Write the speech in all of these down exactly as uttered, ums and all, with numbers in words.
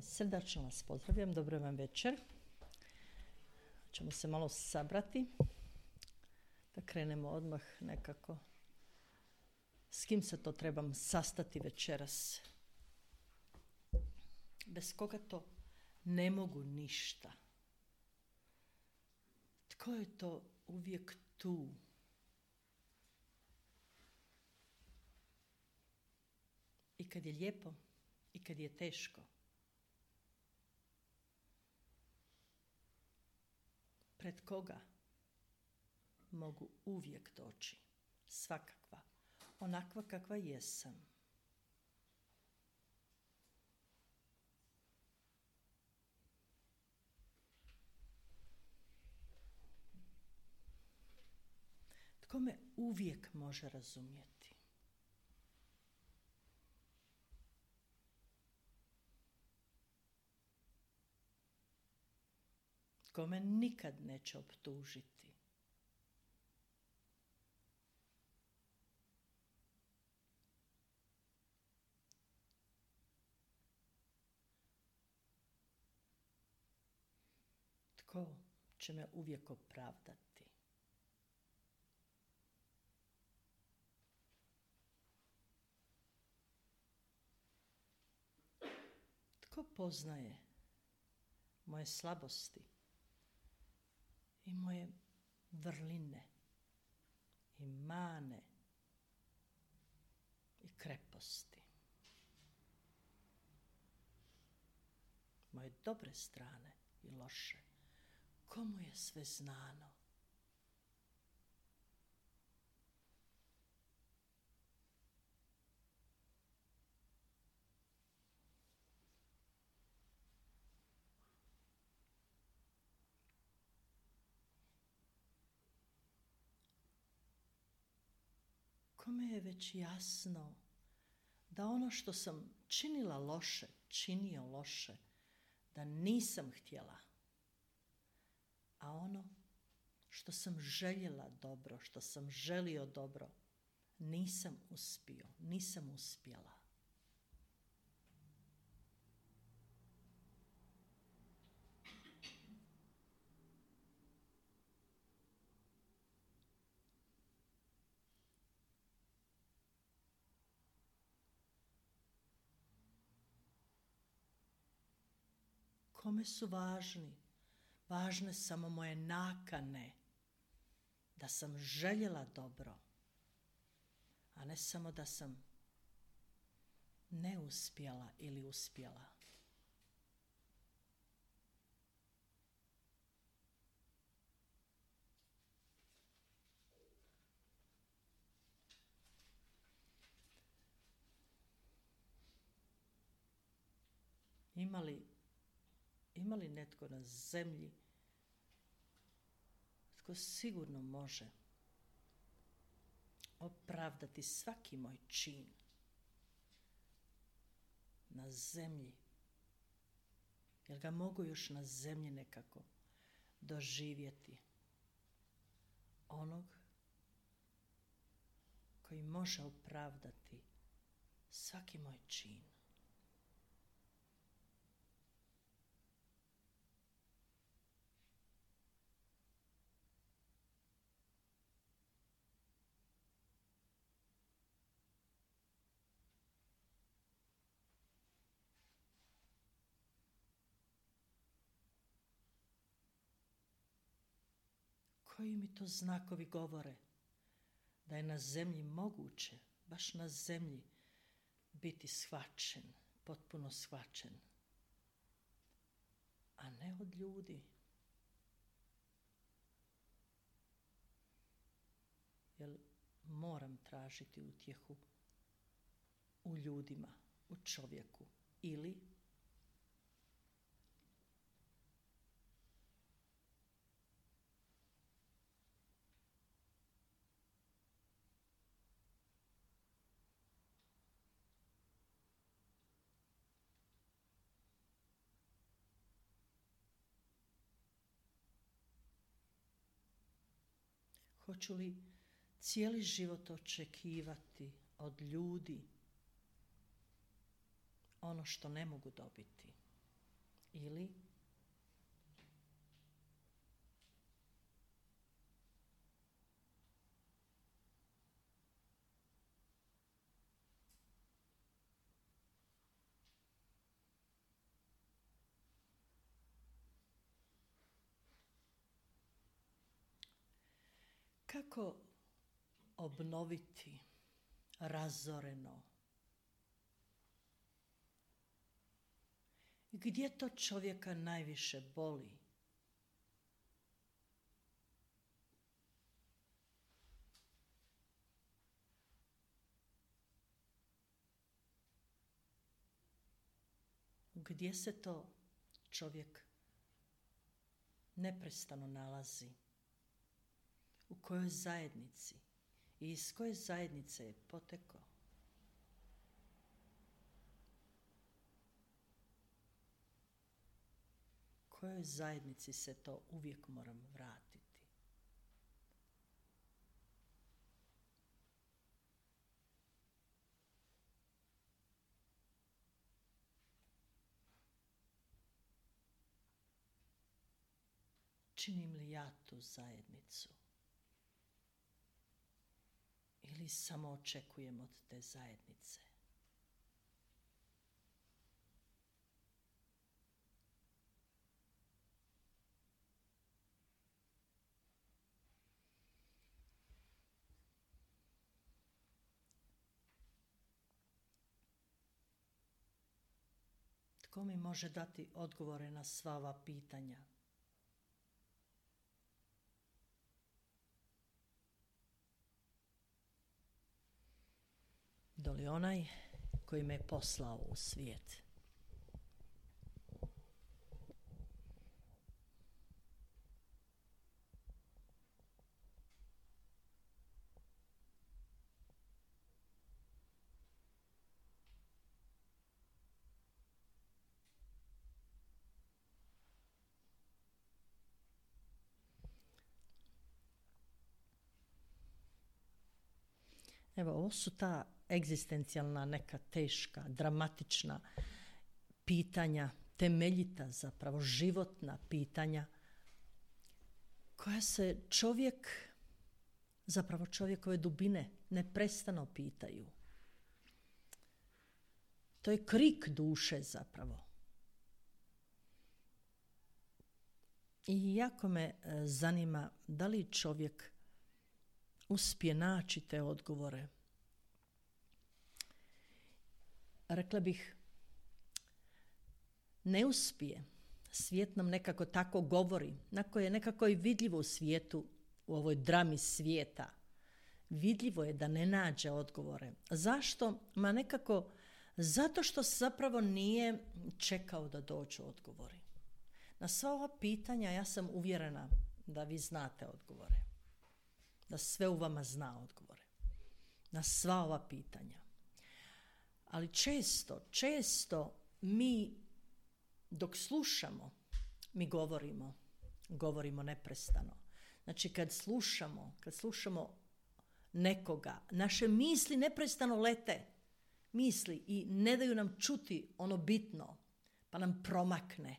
Srdačno vas pozdravljam, dobro vam večer. Ćemo se malo sabrati, da krenemo odmah nekako. S kim se to trebam sastati večeras? Bez koga to ne mogu ništa. Tko je to uvijek tu? I kad je lijepo, i kad je teško. Pred koga mogu uvijek doći, svakakva, onakva kakva jesam. Tko me uvijek može razumjeti? Tko me nikad neće optužiti? Tko će me uvijek opravdati? Tko poznaje moje slabosti i moje vrline i mane i kreposti? Moje dobre strane i loše. Komu je sve znano? Kome je već jasno da ono što sam činila loše, činio loše, da nisam htjela, a ono što sam željela dobro, što sam želio dobro, nisam uspio, nisam uspjela. Kome su važni? Važne samo moje nakane, da sam željela dobro, a ne samo da sam neuspjela ili uspjela. Ima li Ima li netko na zemlji tko sigurno može opravdati svaki moj čin na zemlji? Jer ga mogu još na zemlji nekako doživjeti. Onog koji može opravdati svaki moj čin. Koji mi to znakovi govore da je na zemlji moguće, baš na zemlji, biti shvaćen, potpuno shvaćen, a ne od ljudi. Jer moram tražiti utjehu u ljudima, u čovjeku ili hoću li cijeli život očekivati od ljudi ono što ne mogu dobiti? ili kako obnoviti razoreno? Gdje to čovjeka najviše boli? Gdje se to čovjek neprestano nalazi? U kojoj zajednici i iz koje zajednice je potekao? Kojoj zajednici se to uvijek moram vratiti? Činim li ja tu zajednicu? Ili samo očekujem od te zajednice? Tko mi može dati odgovore na sva ova pitanja? Doli onaj koji me je poslao u svijet. Evo, ovo su ta egzistencijalna, neka teška, dramatična pitanja, temeljita zapravo, životna pitanja, koja se čovjek, zapravo čovjekove dubine, neprestano pitaju. To je krik duše zapravo. I jako me zanima da li čovjek uspije naći te odgovore. Rekla bih, ne uspije. Svijet nam nekako tako govori, nakon je nekako i vidljivo u svijetu, u ovoj drami svijeta. Vidljivo je da ne nađe odgovore. Zašto? Ma nekako zato što zapravo nije čekao da dođu odgovori. Na sva ova pitanja ja sam uvjerena da vi znate odgovore. Da sve u vama zna odgovore. Na sva ova pitanja. Ali često, često mi dok slušamo, mi govorimo, govorimo neprestano. Znači kad slušamo, kad slušamo nekoga, naše misli neprestano lete. Misli i ne daju nam čuti ono bitno, pa nam promakne.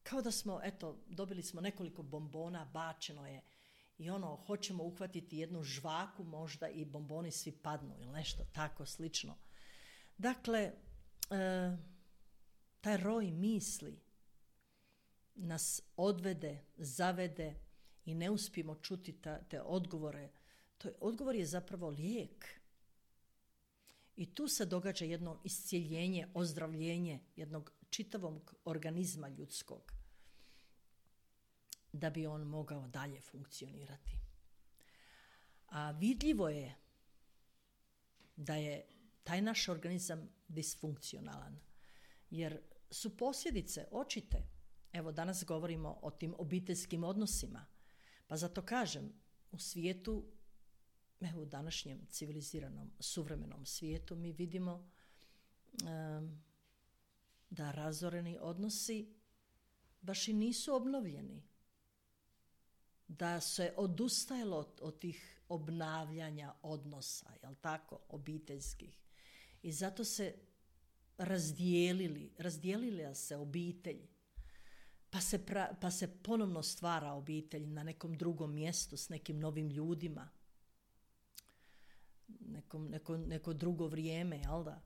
Kao da smo, eto, dobili smo nekoliko bombona, bačeno je i ono, hoćemo uhvatiti jednu žvaku možda i bomboni svi padnu ili nešto tako slično. Dakle, e, taj roj misli nas odvede, zavede i ne uspijemo čuti ta, te odgovore. To je, odgovor je zapravo lijek. I tu se događa jedno iscijeljenje, ozdravljenje jednog čitavog organizma ljudskog, da bi on mogao dalje funkcionirati. A vidljivo je da je taj naš organizam disfunkcionalan, jer su posljedice očite. Evo, danas govorimo o tim obiteljskim odnosima, pa zato kažem, u svijetu, evo u današnjem civiliziranom, suvremenom svijetu mi vidimo um, da razoreni odnosi baš i nisu obnovljeni. Da se odustajalo od, od tih obnavljanja odnosa, jel tako, obiteljskih. I zato se razdijelili, razdijelila se obitelj, pa se, pra, pa se ponovno stvara obitelj na nekom drugom mjestu s nekim novim ljudima, nekom, neko, neko drugo vrijeme, jel da?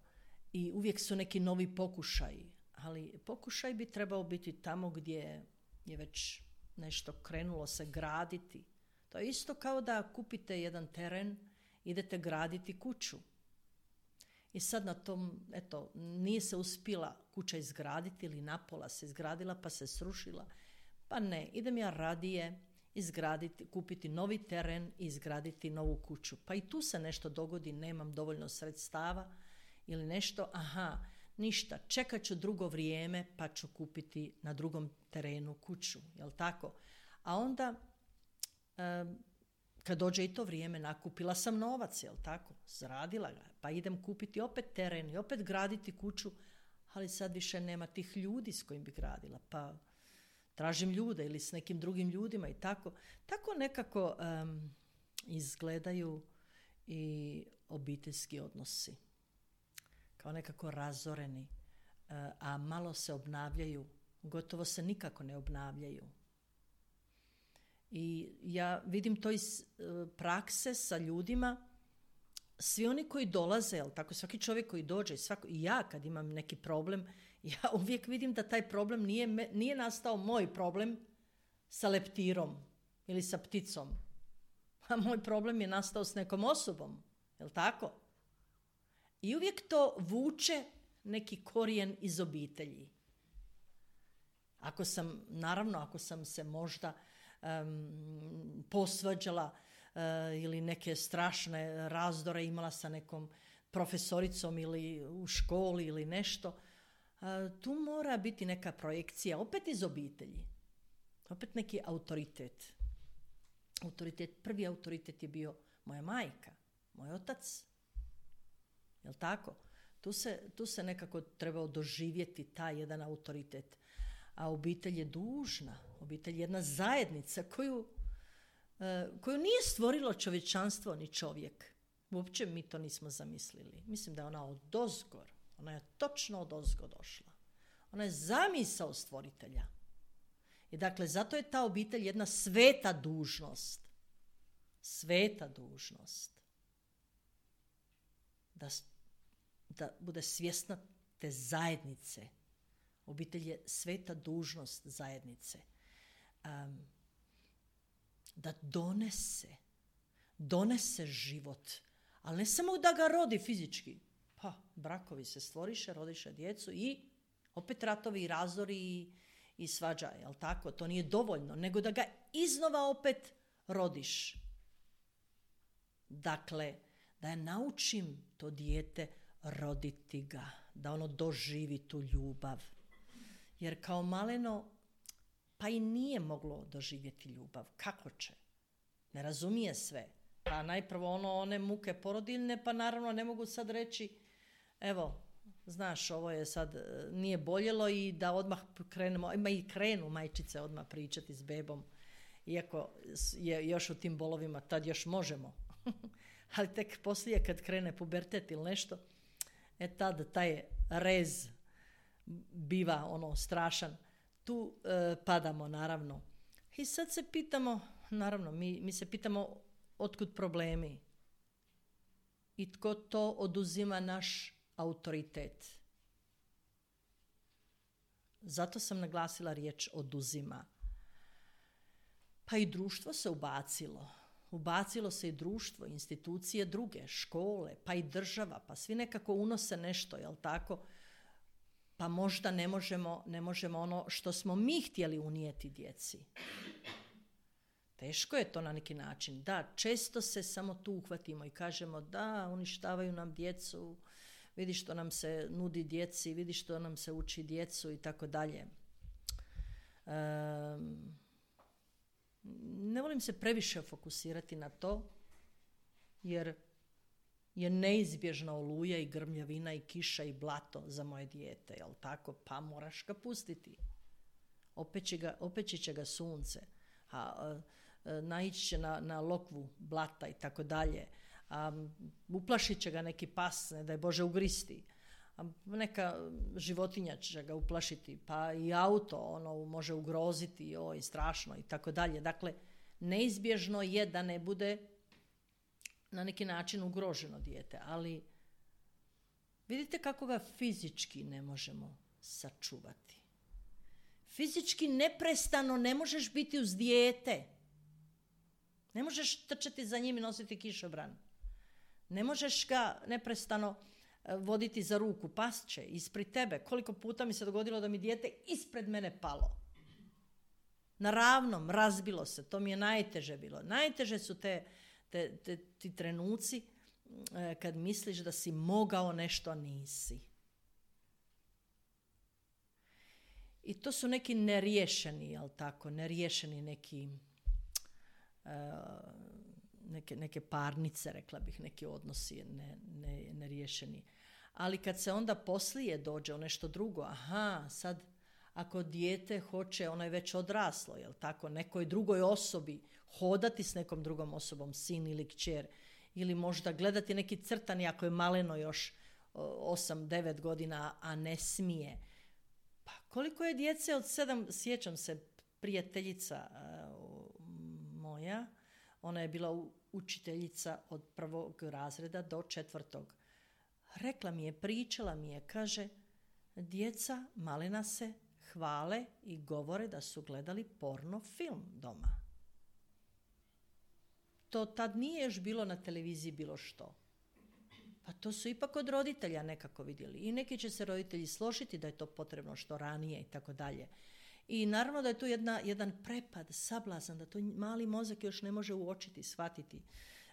I uvijek su neki novi pokušaji, ali pokušaj bi trebao biti tamo gdje je već nešto krenulo se graditi. To je isto kao da kupite jedan teren, idete graditi kuću. I sad na tom, eto, nije se uspjela kuća izgraditi ili napola se izgradila pa se srušila. Pa ne, idem ja radije izgraditi, kupiti novi teren i izgraditi novu kuću. Pa i tu se nešto dogodi, nemam dovoljno sredstava ili nešto, aha, ništa, čekat ću drugo vrijeme pa ću kupiti na drugom terenu kuću, jel tako? A onda, um, kad dođe i to vrijeme, nakupila sam novac, jel tako? Zradila ga, pa idem kupiti opet teren i opet graditi kuću, ali sad više nema tih ljudi s kojim bi gradila, pa tražim ljude ili s nekim drugim ljudima i tako. Tako nekako um, izgledaju i obiteljski odnosi. Kao nekako razoreni, uh, a malo se obnavljaju, gotovo se nikako ne obnavljaju. I ja vidim to iz uh, prakse sa ljudima, svi oni koji dolaze, jel tako, svaki čovjek koji dođe, svako, i ja kad imam neki problem, ja uvijek vidim da taj problem nije, nije nastao moj problem sa leptirom ili sa pticom. A moj problem je nastao s nekom osobom, jel tako? I uvijek to vuče neki korijen iz obitelji. Ako sam, naravno, ako sam se možda um, posvađala uh, ili neke strašne razdore imala sa nekom profesoricom ili u školi ili nešto, uh, tu mora biti neka projekcija, opet iz obitelji. Opet neki autoritet. Autoritet, prvi autoritet je bio moja majka, moj otac. Jel tako? Tu se, tu se nekako trebao doživjeti taj jedan autoritet. A obitelj je dužna, obitelj je jedna zajednica koju, e, koju nije stvorilo čovječanstvo ni čovjek. Uopće mi to nismo zamislili. Mislim da je ona odozgor, ona je točno odozgo došla. Ona je zamisao stvoritelja. I dakle, zato je ta obitelj jedna sveta dužnost. Sveta dužnost. Da, da bude svjesna te zajednice. Obitelj je sveta dužnost zajednice. Um, da donese, donese život, ali ne samo da ga rodi fizički. Pa, brakovi se stvoriše, rodiše djecu i opet ratovi i razori i, i svađaje, jel tako? To nije dovoljno, nego da ga iznova opet rodiš. Dakle, da ja naučim to dijete roditi ga, da ono doživi tu ljubav. Jer kao maleno, pa i nije moglo doživjeti ljubav. Kako će? Ne razumije sve. Pa najprvo ono, one muke porodiljne, pa naravno ne mogu sad reći, evo, znaš, ovo je sad, nije boljelo i da odmah krenemo, ima i krenu majčice odmah pričati s bebom, iako je još u tim bolovima, tad još možemo. Ali tek poslije kad krene pubertet ili nešto, e tad taj rez biva ono strašan. Tu e, padamo naravno. I sad se pitamo, naravno, mi, mi se pitamo otkud problemi i tko to oduzima naš autoritet. Zato sam naglasila riječ oduzima. Pa i društvo se ubacilo. Ubacilo se i društvo, institucije druge, škole, pa i država, pa svi nekako unose nešto, jel tako? Pa možda ne možemo, ne možemo ono što smo mi htjeli unijeti djeci. Teško je to na neki način. Da, često se samo tu uhvatimo i kažemo da, uništavaju nam djecu, vidi što nam se nudi djeci, vidi što nam se uči djecu i tako dalje. Um, ne volim se previše fokusirati na to, jer je neizbježna oluja i grmljavina i kiša i blato za moje dijete, jel tako? Pa moraš ga pustiti. Opeći, ga, opeći će ga sunce, a, a, a naići će na, na lokvu blata i tako dalje. A, uplašit će ga neki pas, ne daj Bože ugristi. a neka životinja će ga uplašiti, pa i auto ono može ugroziti, oj, strašno i tako dalje. Dakle, neizbježno je da ne bude na neki način ugroženo dijete, ali vidite kako ga fizički ne možemo sačuvati. Fizički neprestano ne možeš biti uz dijete. Ne možeš trčati za njim i nositi kišobran. Ne možeš ga neprestano voditi za ruku, past će ispred tebe. Koliko puta mi se dogodilo da mi dijete ispred mene palo. Na ravnom, razbilo se. To mi je najteže bilo. Najteže su te, te, te, ti trenuci e, kad misliš da si mogao nešto, a nisi. I to su neki neriješeni, jel tako, neriješeni neki, uh, neke, neke parnice, rekla bih, neki odnosi ne, ne, neriješeni. Ali kad se onda poslije dođe u nešto drugo, aha, sad ako dijete hoće, ono je već odraslo, jel tako, nekoj drugoj osobi, hodati s nekom drugom osobom, sin ili kćer, ili možda gledati neki crtani ako je maleno još osam devet godina, a ne smije. Pa koliko je djece od sedam, sjećam se, prijateljica uh, moja, ona je bila učiteljica od prvog razreda do četvrtog. Rekla mi je, pričala mi je, kaže, djeca malena se hvale i govore da su gledali porno film doma. To tad nije još bilo na televiziji bilo što. Pa to su ipak od roditelja nekako vidjeli. I neki će se roditelji složiti da je to potrebno što ranije i tako dalje. I naravno da je tu jedna, jedan prepad, sablazan, da to mali mozak još ne može uočiti, shvatiti,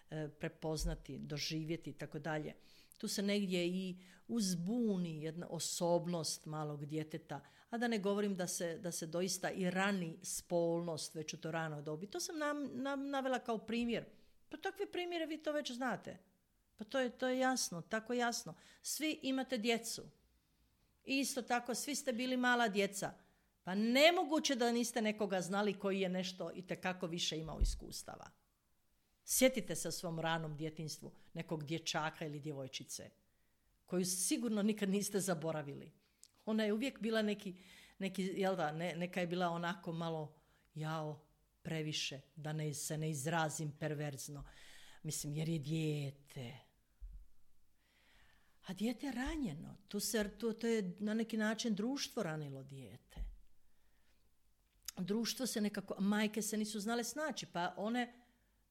e, prepoznati, doživjeti i tako dalje. Tu se negdje i uzbuni jedna osobnost malog djeteta, a da ne govorim da se, da se doista i rani spolnost već u to ranoj dobi. To sam nam, nam navela kao primjer. Pa takve primjere vi to već znate. Pa to je, to je jasno, tako jasno. Svi imate djecu. I isto tako, svi ste bili mala djeca. Pa nemoguće da niste nekoga znali koji je nešto itekako više imao iskustava. Sjetite se o svom ranom djetinjstvu nekog dječaka ili djevojčice koju sigurno nikad niste zaboravili. Ona je uvijek bila neki, neki jel da, ne, neka je bila onako malo jao, previše, da ne, se ne izrazim perverzno. Mislim, jer je dijete. A dijete je ranjeno. Tu se, tu, to je na neki način društvo ranilo dijete. Društvo se nekako, majke se nisu znale snaći, pa one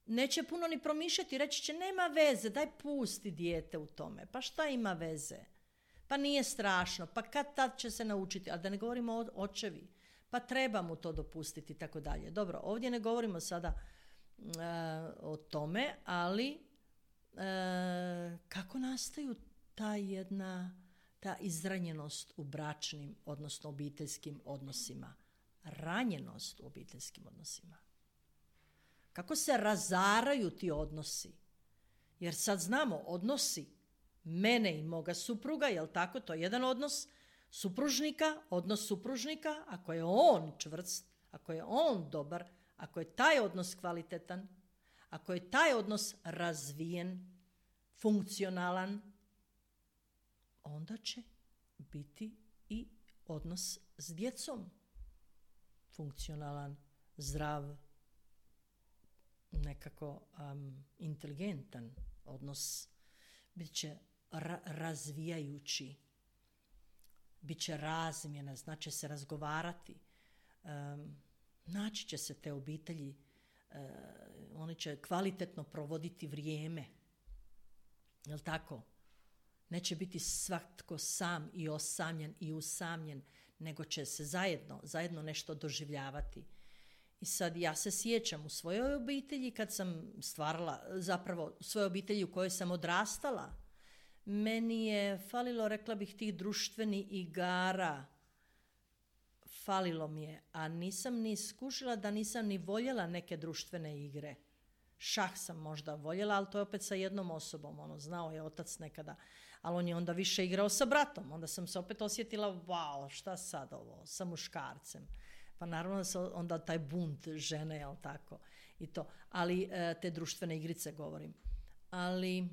neće puno ni promišljati, reći će nema veze, daj pusti dijete u tome. Pa šta ima veze? Pa nije strašno, pa kad tad će se naučiti, a da ne govorimo o očevi, pa treba mu to dopustiti i tako dalje. Dobro, ovdje ne govorimo sada uh, o tome, ali uh, kako nastaju ta jedna, ta izranjenost u bračnim, odnosno obiteljskim odnosima, ranjenost u obiteljskim odnosima. Kako se razaraju ti odnosi? Jer sad znamo, odnosi mene i moga supruga, jel tako, to je jedan odnos supružnika, odnos supružnika, ako je on čvrst, ako je on dobar, ako je taj odnos kvalitetan, ako je taj odnos razvijen, funkcionalan, onda će biti i odnos s djecom funkcionalan, zdrav, nekako um, inteligentan odnos, bit će ra- razvijajući, bit će razmjena, znači se razgovarati, um, naći će se te obitelji, uh, oni će kvalitetno provoditi vrijeme, jel tako? Neće biti svatko sam i osamljen i usamljen, nego će se zajedno, zajedno nešto doživljavati. I sad ja se sjećam u svojoj obitelji kad sam stvarala, zapravo u svojoj obitelji u kojoj sam odrastala, meni je falilo, rekla bih, tih društvenih igara. Falilo mi je, a nisam ni skušila da nisam ni voljela neke društvene igre. Šah sam možda voljela, ali to je opet sa jednom osobom, ono, znao je otac nekada, ali on je onda više igrao sa bratom, onda sam se opet osjetila, wow, šta sad ovo, sa muškarcem. Pa naravno da se onda taj bunt žene, jel tako, i to. Ali te društvene igrice govorim. Ali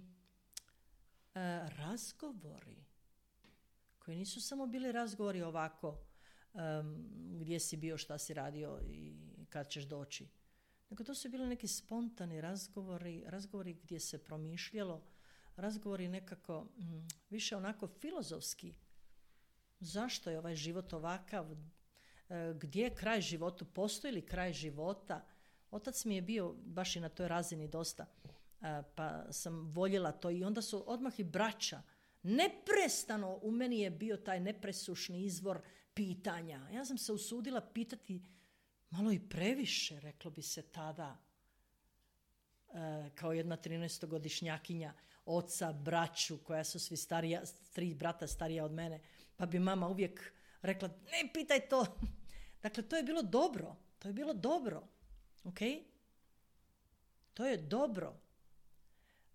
razgovori, koji nisu samo bili razgovori ovako um, gdje si bio, šta si radio i kad ćeš doći. Nego to su bili neki spontani razgovori, razgovori gdje se promišljalo, razgovori nekako mm, više onako filozofski. Zašto je ovaj život ovakav? E, gdje je kraj životu? Postoji li kraj života? Otac mi je bio baš i na toj razini dosta, e, pa sam voljela to i onda su odmah i braća. Neprestano u meni je bio taj nepresušni izvor pitanja. Ja sam se usudila pitati malo i previše, reklo bi se tada, e, kao jedna trinaestogodišnjakinja, oca, braću, koja su svi starija, tri brata starija od mene, pa bi mama uvijek rekla, ne pitaj to. Dakle, to je bilo dobro, to je bilo dobro, ok? To je dobro.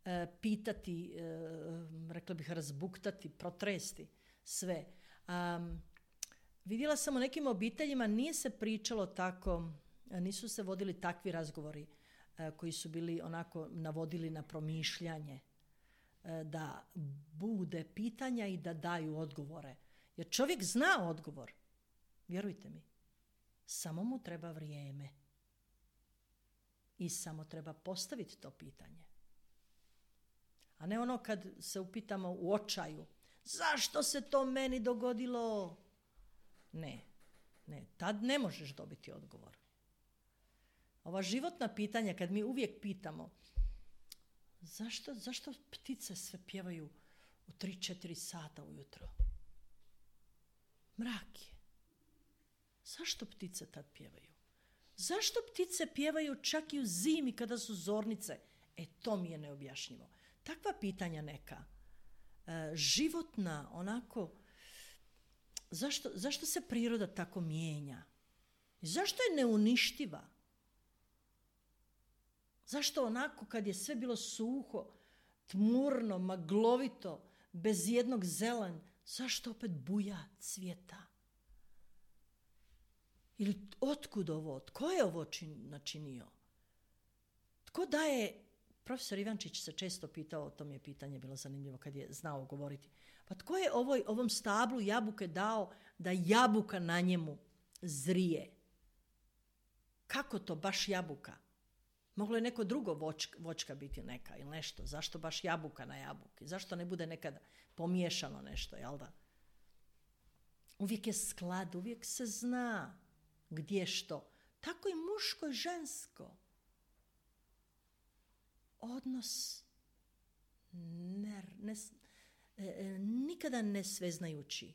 E, pitati, e, rekla bih razbuktati, protresti sve. Um, vidjela sam u nekim obiteljima, nije se pričalo tako, nisu se vodili takvi razgovori e, koji su bili onako navodili na promišljanje, e, da bude pitanja i da daju odgovore. Jer čovjek zna odgovor, vjerujte mi, samo mu treba vrijeme i samo treba postaviti to pitanje. A ne ono kad se upitamo u očaju, zašto se to meni dogodilo? Ne, ne, tad ne možeš dobiti odgovor. Ova životna pitanja, kad mi uvijek pitamo, zašto, zašto ptice sve pjevaju u tri četiri sata ujutro? Mrak je. Zašto ptice tad pjevaju? Zašto ptice pjevaju čak i u zimi kada su zornice? E, to mi je neobjašnjivo. Takva pitanja neka, e, životna, onako, zašto, zašto se priroda tako mijenja? Zašto je neuništiva? Zašto onako kad je sve bilo suho, tmurno, maglovito, bez jednog zelanja, zašto opet buja, cvjeta? Ili otkud ovo? Tko je ovo čin, načinio? Tko daje... Profesor Ivančić se često pitao, to mi je pitanje bilo zanimljivo kad je znao govoriti. Pa tko je ovoj, ovom stablu jabuke dao da jabuka na njemu zrije? Kako to baš jabuka? Moglo je neko drugo vočka, vočka biti neka ili nešto. Zašto baš jabuka na jabuki? Zašto ne bude nekada pomiješano nešto, jel da? Uvijek je sklad, uvijek se zna gdje što. Tako i muško i žensko. Odnos ne, ne, e, nikada ne sveznajući.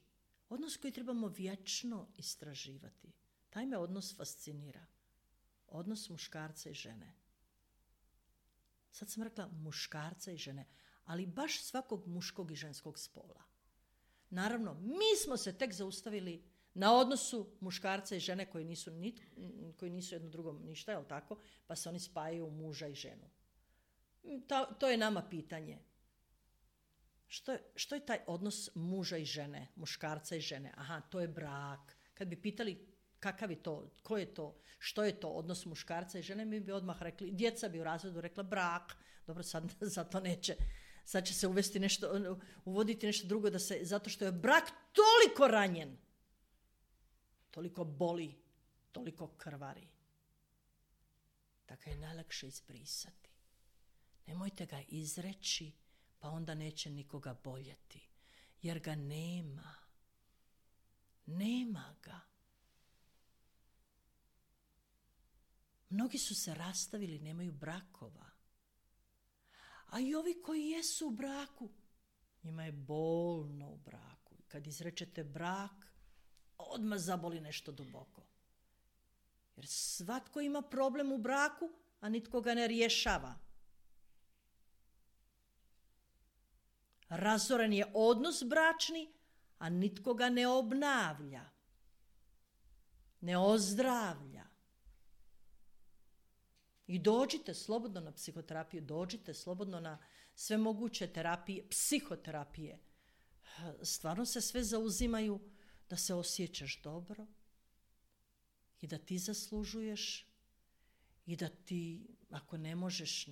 Odnos koji trebamo vječno istraživati. Taj me odnos fascinira. Odnos muškarca i žene. Sad sam rekla muškarca i žene, ali baš svakog muškog i ženskog spola. Naravno, mi smo se tek zaustavili na odnosu muškarca i žene koji nisu, nit, koji nisu jedno drugom ništa, jel tako? Pa se oni spajaju u muža i ženu. To, to je nama pitanje. Što je, što je taj odnos muža i žene, muškarca i žene? Aha, to je brak. Kad bi pitali kakav je to, ko je to, što je to odnos muškarca i žene, mi bi odmah rekli, djeca bi u razredu rekla brak. Dobro, sad zato neće. Sad će se uvesti nešto, uvoditi nešto drugo, da se, zato što je brak toliko ranjen, toliko boli, toliko krvari, da ga je najlakše izbrisati. Nemojte ga izreći, pa onda neće nikoga boljeti, jer ga nema. Nema ga. Mnogi su se rastavili, nemaju brakova. A i ovi koji jesu u braku, njima je bolno u braku. Kad izrečete brak, odmah zaboli nešto duboko. Jer svatko ima problem u braku, a nitko ga ne rješava. Razoren je odnos bračni, a nitko ga ne obnavlja, ne ozdravlja. I dođite slobodno na psihoterapiju, dođite slobodno na sve moguće terapije, psihoterapije. Stvarno se sve zauzimaju da se osjećaš dobro i da ti zaslužuješ i da ti, ako ne možeš,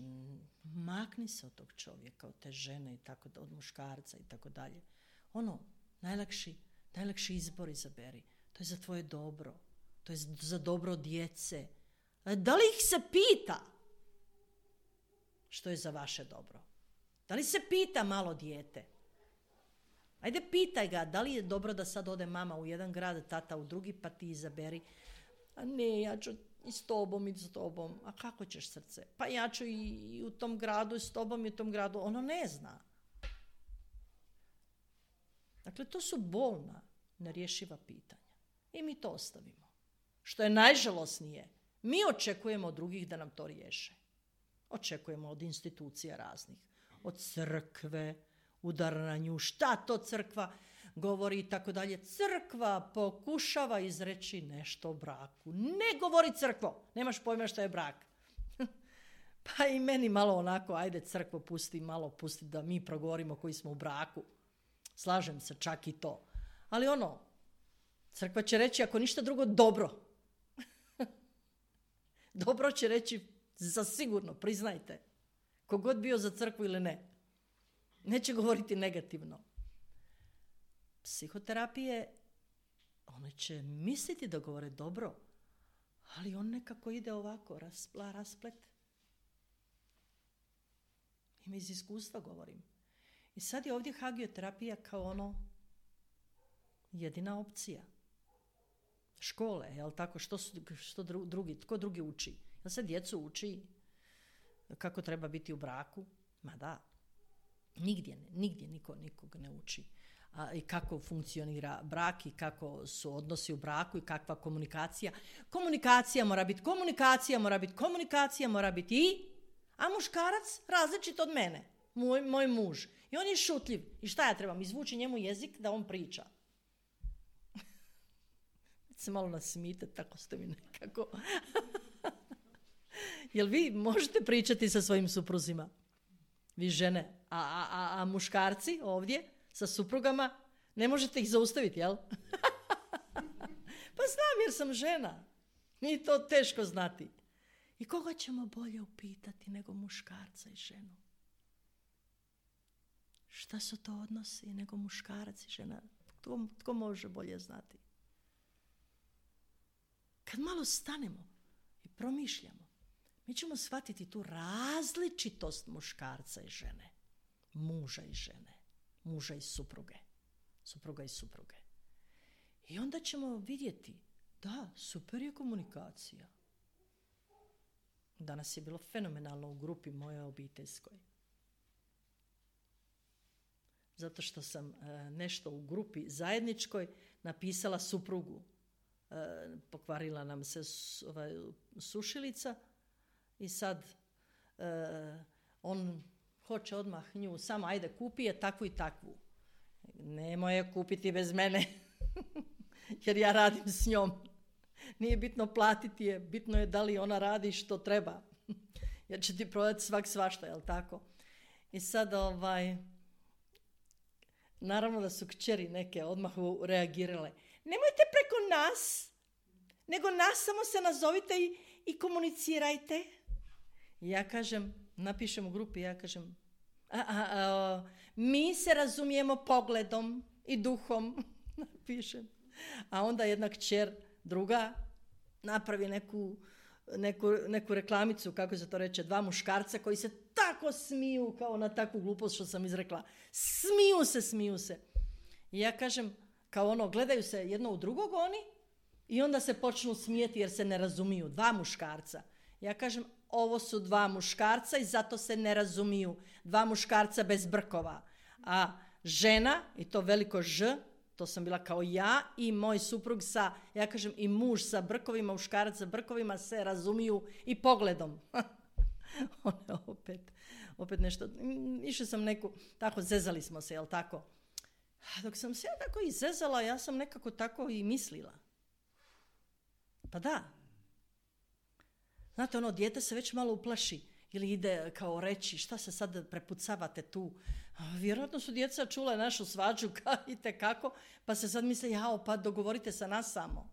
makni se od tog čovjeka, od te žene i tako, od muškarca i tako dalje. Ono, Najlakši, najlakši izbor izaberi. To je za tvoje dobro. To je za dobro djece. Da li ih se pita što je za vaše dobro? Da li se pita malo dijete? Ajde pitaj ga, da li je dobro da sad ode mama u jedan grad, tata u drugi, pa ti izaberi. A ne, ja ću i s tobom i s tobom. A kako ćeš, srce? Pa ja ću i u tom gradu, i s tobom i u tom gradu. Ono ne zna. Dakle, to su bolna, nerješiva pitanja. I mi to ostavimo. Što je najžalosnije, mi očekujemo od drugih da nam to riješe. Očekujemo od institucija raznih. Od crkve, udar na nju, šta to crkva govori i tako dalje. Crkva pokušava izreći nešto o braku. Ne govori crkvo, nemaš pojma što je brak. Pa i meni malo onako, ajde crkvo pusti, malo pusti da mi progovorimo koji smo u braku. Slažem se, čak i to. Ali ono, crkva će reći ako ništa drugo dobro. Dobro će reći za sigurno, priznajte. Kogod bio za crkvu ili ne. Neće govoriti negativno. Psihoterapije, one će misliti da govore dobro, ali on nekako ide ovako, raspla, rasplet. Ima iz iskustva govorim. I sad je ovdje hagioterapija kao ono jedina opcija. Škole, jel tako? Što, su, što drugi, tko drugi uči? Jel se djecu uči kako treba biti u braku? Ma da. Nigdje ne, nigdje niko nikog ne uči. A, i kako funkcionira brak i kako su odnosi u braku i kakva komunikacija. Komunikacija mora biti, komunikacija mora biti, komunikacija mora biti i, a muškarac različit od mene, moj, moj muž. I on je šutljiv. I šta ja trebam? Izvući njemu jezik da on priča. Se malo nasmijete, tako ste mi nekako. Jel vi možete pričati sa svojim supruzima? Vi žene, a, a, a muškarci ovdje sa suprugama, ne možete ih zaustaviti, jel? Pa znam jer sam žena. Nije to teško znati. I koga ćemo bolje upitati nego muškarca i ženu? Šta su to odnosi nego muškarac i žena? Tko, tko može bolje znati? Kad malo stanemo i promišljamo, mi ćemo shvatiti tu različitost muškarca i žene, muža i žene, muža i supruge, supruga i supruge. I onda ćemo vidjeti, da, super je komunikacija. Danas je bilo fenomenalno u grupi moje obiteljskoj. Zato što sam e, nešto u grupi zajedničkoj napisala suprugu. E, pokvarila nam se su, ovaj, sušilica i sad e, on hoće odmah nju samo ajde kupi je takvu i takvu. Nemoj je kupiti bez mene jer ja radim s njom. Nije bitno platiti je, bitno je da li ona radi što treba. Jer će ti prodati svak svašta, jel tako? I sad ovaj, naravno da su kćeri neke odmah reagirale. Nemojte preko nas, nego nas samo se nazovite i, i komunicirajte. I ja kažem, napišem u grupi, ja kažem, a, a, a, mi se razumijemo pogledom i duhom, napišem. A onda jedna kćer, druga, napravi neku, neku, neku reklamicu, kako se to reče, dva muškarca koji se tako smiju kao na takvu glupost što sam izrekla. Smiju se, smiju se. I ja kažem, kao ono, gledaju se jedno u drugog oni i onda se počnu smijeti jer se ne razumiju. Dva muškarca. Ja kažem, ovo su dva muškarca i zato se ne razumiju. Dva muškarca bez brkova. A žena, i to veliko Ž, to sam bila kao ja i moj suprug sa, ja kažem, i muž sa brkovima, muškarac sa brkovima se razumiju i pogledom. One opet, opet nešto, išla sam neku, tako zezali smo se, jel tako? Dok sam se ja tako i zezala, ja sam nekako tako i mislila. Pa da. Znate, ono, dijete se već malo uplaši ili ide kao reći šta se sad prepucavate tu. Vjerojatno su djeca čula našu svađu i kako, pa se sad misle, jao, pa dogovorite sa nas samo.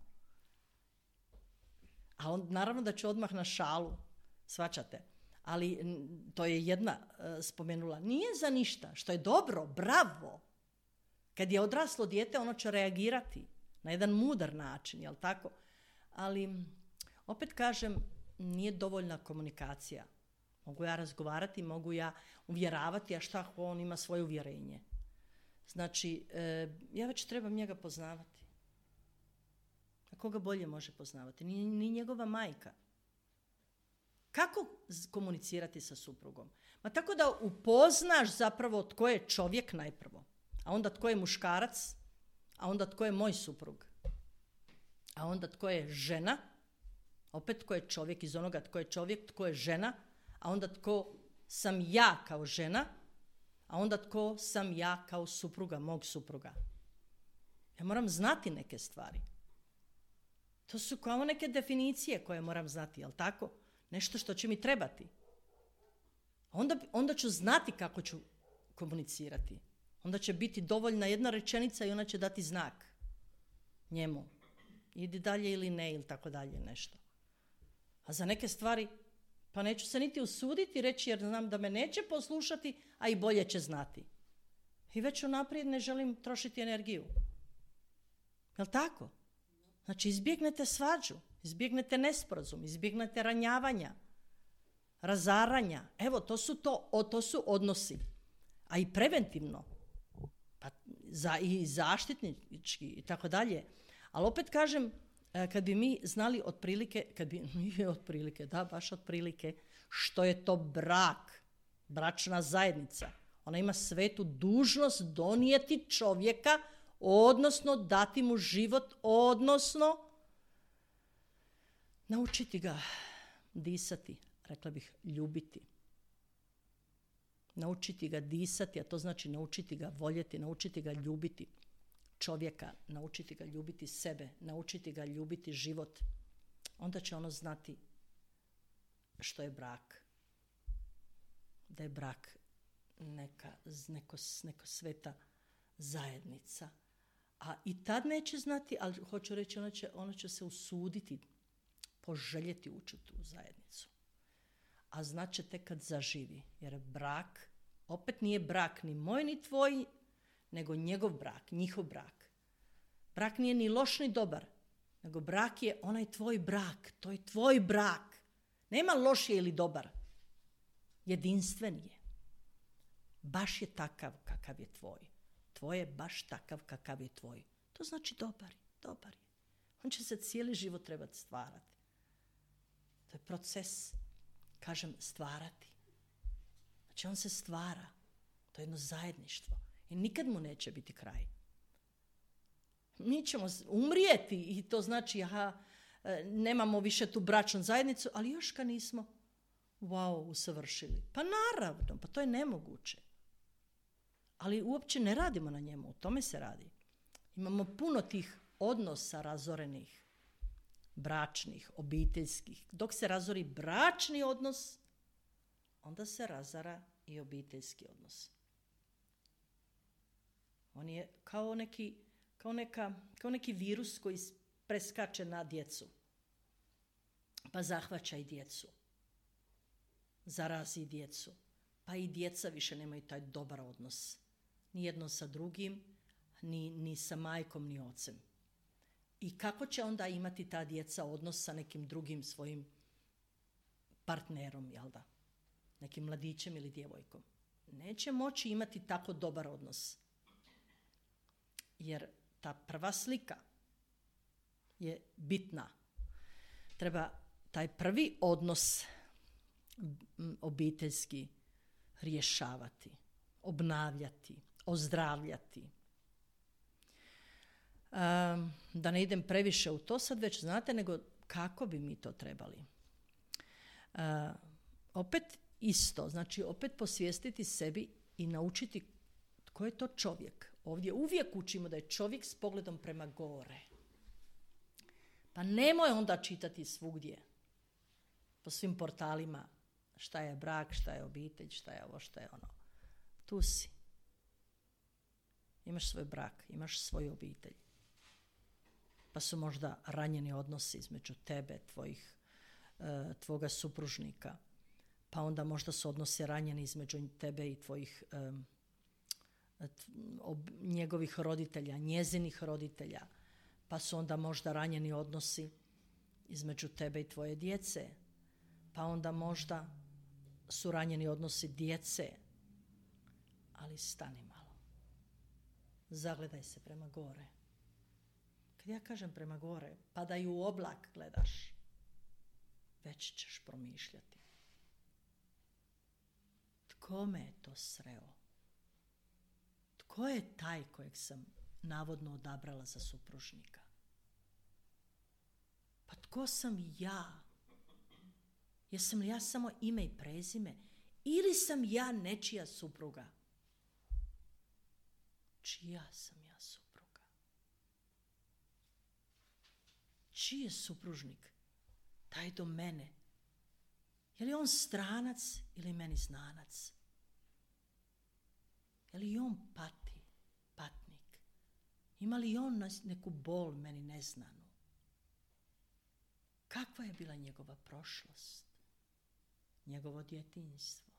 A on, naravno da ću odmah na šalu, svačate. Ali to je jedna uh, spomenula. Nije za ništa, što je dobro, bravo. Kad je odraslo dijete, ono će reagirati na jedan mudar način, jel tako? Ali, opet kažem, nije dovoljna komunikacija. Mogu ja razgovarati, mogu ja uvjeravati, a šta ako on ima svoje uvjerenje. Znači, e, ja već trebam njega poznavati. A koga bolje može poznavati? Ni, ni njegova majka. Kako komunicirati sa suprugom? Ma tako da upoznaš zapravo tko je čovjek najprvo, a onda tko je muškarac, a onda tko je moj suprug, a onda tko je žena, opet tko je čovjek iz onoga tko je čovjek, tko je žena, a onda tko sam ja kao žena, a onda tko sam ja kao supruga, mog supruga. Ja moram znati neke stvari. To su kao neke definicije koje moram znati, jel tako? Nešto što će mi trebati. Onda, onda ću znati kako ću komunicirati. Onda će biti dovoljna jedna rečenica i ona će dati znak njemu. Idi dalje ili ne, ili tako dalje nešto. A za neke stvari, pa neću se niti usuditi reći jer znam da me neće poslušati, a i bolje će znati. I već unaprijed ne želim trošiti energiju. Jel' tako? Znači, izbjegnete svađu, izbjegnete nesporazum, izbjegnete ranjavanja, razaranja. Evo, to su, to, o, to su odnosi. A i preventivno. Pa za, i zaštitnički i tako dalje. Ali opet kažem, kad bi mi znali otprilike, kad bi, nije otprilike, da, baš otprilike, što je to brak, bračna zajednica. Ona ima svetu dužnost donijeti čovjeka, odnosno dati mu život, odnosno naučiti ga disati, rekla bih ljubiti. Naučiti ga disati, a to znači naučiti ga voljeti, naučiti ga ljubiti čovjeka, naučiti ga ljubiti sebe, naučiti ga ljubiti život. Onda će ono znati što je brak. Da je brak neka, neko, neko sveta zajednica. A i tad neće znati, ali hoću reći, ona će, ona će se usuditi, poželjeti ući u tu zajednicu. A znaće tek kad zaživi, jer brak, opet nije brak ni moj ni tvoj, nego njegov brak, njihov brak. Brak nije ni loš ni dobar, nego brak je onaj tvoj brak, to je tvoj brak. Nema loš je ili dobar, jedinstven je. Baš je takav kakav je tvoj. Tvoj je baš takav kakav je tvoj. To znači dobar, dobar je. On će se cijeli život trebati stvarati. To je proces, kažem, stvarati. Znači on se stvara. To je jedno zajedništvo. I nikad mu neće biti kraj. Mi ćemo umrijeti i to znači, aha, nemamo više tu bračnu zajednicu, ali još ga nismo, wow, usavršili. Pa naravno, pa to je nemoguće. Ali uopće ne radimo na njemu, o tome se radi. Imamo puno tih odnosa razorenih, bračnih, obiteljskih. Dok se razori bračni odnos, onda se razara i obiteljski odnos. On je kao neki, kao neka, kao neki virus koji preskače na djecu. Pa zahvaća i djecu. Zarazi djecu. Pa i djeca više nemaju taj dobar odnos. Ni jedno sa drugim, ni, ni sa majkom, ni ocem. I kako će onda imati ta djeca odnos sa nekim drugim svojim partnerom, jel da? Nekim mladićem ili djevojkom. Neće moći imati tako dobar odnos. Jer ta prva slika je bitna. Treba taj prvi odnos obiteljski rješavati, obnavljati, ozdravljati. Um, da ne idem previše u to sad već znate, nego kako bi mi to trebali. Uh, opet isto, znači opet posvijestiti sebi i naučiti tko je to čovjek. Ovdje uvijek učimo da je čovjek s pogledom prema gore. Pa nemoj onda čitati svugdje, po svim portalima, šta je brak, šta je obitelj, šta je ovo, šta je ono. Tu si. Imaš svoj brak, imaš svoju obitelj. Pa su možda ranjeni odnosi između tebe, tvojih, uh, tvoga supružnika. Pa onda možda su odnosi ranjeni između tebe i tvojih um, ob njegovih roditelja, njezinih roditelja, pa su onda možda ranjeni odnosi između tebe i tvoje djece, pa onda možda su ranjeni odnosi djece, ali stani malo. Zagledaj se prema gore. Kad ja kažem prema gore, pa da i u oblak gledaš, već ćeš promišljati. Tko me je to sreo? Tko je taj kojeg sam navodno odabrala za supružnika? Pa tko sam ja? Jesam li ja samo ime i prezime? Ili sam ja nečija supruga? Čija sam ja supruga? Čiji je supružnik? Taj do mene. Je li on stranac ili meni znanac? Je li on pati, patnik? Ima li on neku bol meni neznanu? Kakva je bila njegova prošlost? Njegovo djetinjstvo?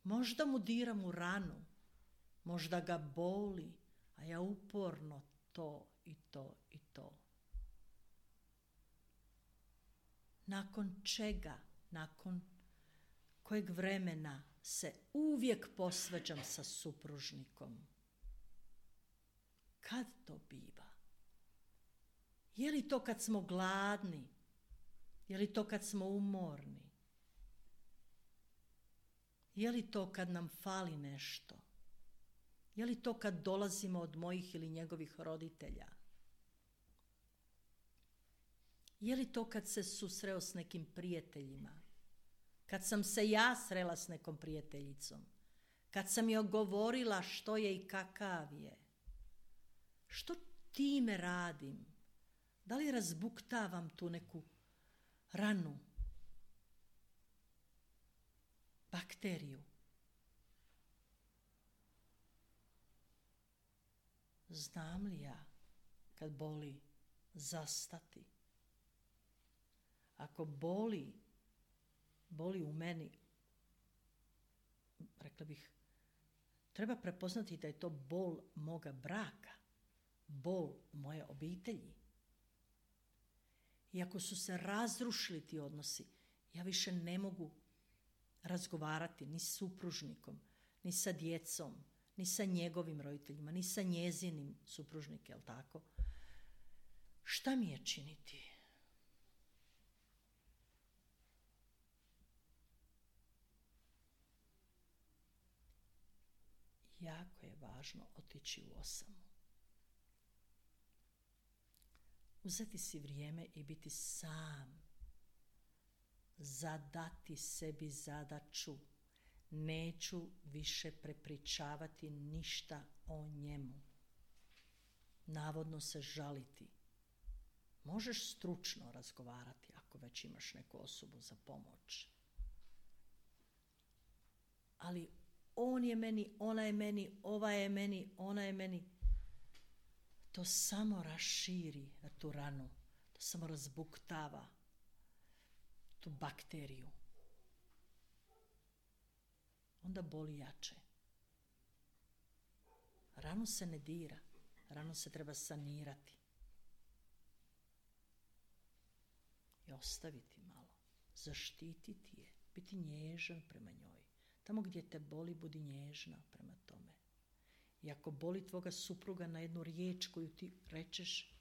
Možda mu diram u ranu, možda ga boli, a ja uporno to i to i to. Nakon čega, nakon kojeg vremena se uvijek posvađam sa supružnikom? Kad to biva? Je li to kad smo gladni? Je li to kad smo umorni? Je li to kad nam fali nešto? Je li to kad dolazimo od mojih ili njegovih roditelja? Je li to kad se susreo s nekim prijateljima? Kad sam se ja srela s nekom prijateljicom? Kad sam joj govorila što je i kakav je? Što time radim? Da li razbuktavam tu neku ranu, bakteriju? Znam li ja kad boli zastati? Ako boli, boli u meni, rekla bih, treba prepoznati da je to bol moga braka, bol moje obitelji. I ako su se razrušili ti odnosi, ja više ne mogu razgovarati ni s supružnikom, ni sa djecom, ni sa njegovim roditeljima, ni sa njezinim supružnikom, jel tako? Šta mi je činiti? Jako je važno otići u osamu. Uzeti si vrijeme i biti sam. Zadati sebi zadaću. Neću više prepričavati ništa o njemu. Navodno se žaliti. Možeš stručno razgovarati ako već imaš neku osobu za pomoć. Ali on je meni, ona je meni, ova je meni, ona je meni. To samo raširi tu ranu. To samo razbuktava tu bakteriju. Onda boli jače. Ranu se ne dira. Ranu se treba sanirati. I ostaviti malo. Zaštititi je. Biti nježan prema njoj. Tamo gdje te boli, budi nježna prema tome. I ako boli tvoga supruga na jednu riječ koju ti rečeš,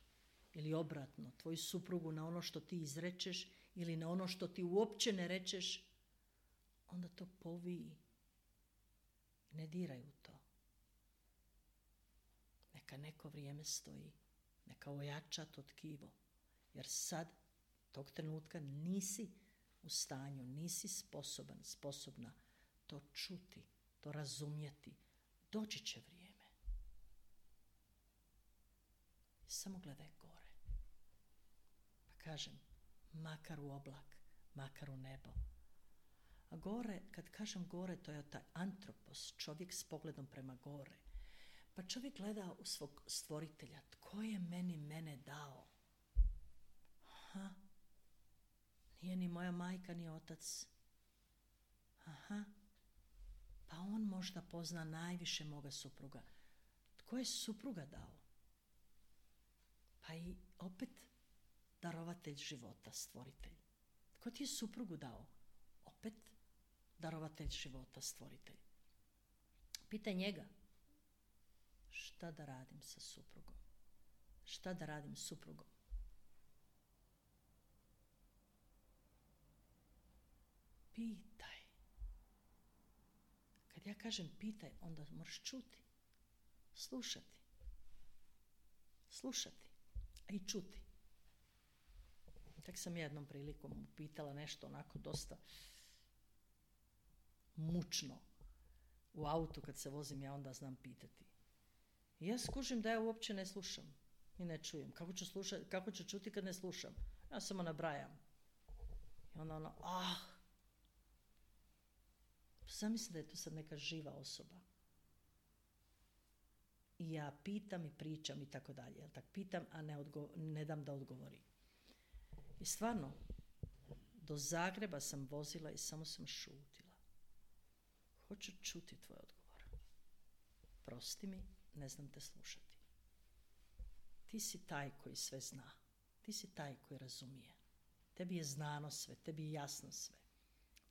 ili obratno, tvoju suprugu na ono što ti izrečeš, ili na ono što ti uopće ne rečeš, onda to poviji. Ne diraj u to. Neka neko vrijeme stoji. Neka ojača to tkivo. Jer sad, tog trenutka, nisi u stanju, nisi sposoban, sposobna to čuti, to razumjeti. Doći će vrijeme. Samo gledaj gore. Pa kažem, makar u oblak, makar u nebo. A gore, kad kažem gore, to je taj antropos, čovjek s pogledom prema gore. Pa čovjek gleda u svog stvoritelja. Tko je meni mene dao? Aha. Nije ni moja majka, ni otac. Aha. Pa on možda pozna najviše moga supruga. Tko je supruga dao? Pa i opet darovatelj života, stvoritelj. Tko ti je suprugu dao? Opet darovatelj života, stvoritelj. Pitaj njega. Šta da radim sa suprugom? Šta da radim s suprugom? Pitaj. Kad ja kažem pitaj, onda moraš čuti. Slušati. Slušati. A i čuti. Tak sam jednom prilikom upitala nešto onako dosta mučno. U autu kad se vozim ja onda znam pitati. I ja skužim da ja uopće ne slušam i ne čujem. Kako ću, slušati, kako ću čuti kad ne slušam? Ja samo nabrajam. I onda ono, ah. Zamislim da je to sad neka živa osoba. I ja pitam i pričam i tako dalje. Jel tak pitam, a ne, odgo- ne dam da odgovori. I stvarno, do Zagreba sam vozila i samo sam šutila. Hoću čuti tvoj odgovor. Prosti mi, ne znam te slušati. Ti si taj koji sve zna. Ti si taj koji razumije. Tebi je znano sve, tebi je jasno sve.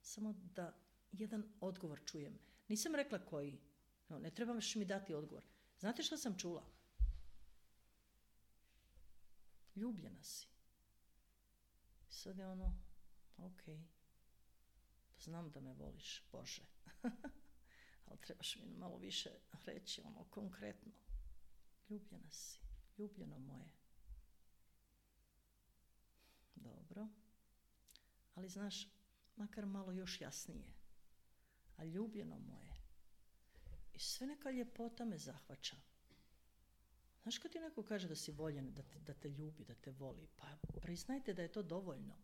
Samo da jedan odgovor čujem. Nisam rekla koji. No, ne trebaš mi dati odgovor. Znate što sam čula? Ljubljena si. Sad je ono, ok, pa znam da me voliš, Bože. Ali trebaš mi malo više reći, ono, konkretno. Ljubljena si, ljubljeno moje. Dobro. Ali znaš, makar malo još jasnije. A ljubljeno moje. I sve neka ljepota me zahvaća. Znaš kad ti neko kaže da si voljen, da te, da te ljubi, da te voli, pa priznajte da je to dovoljno.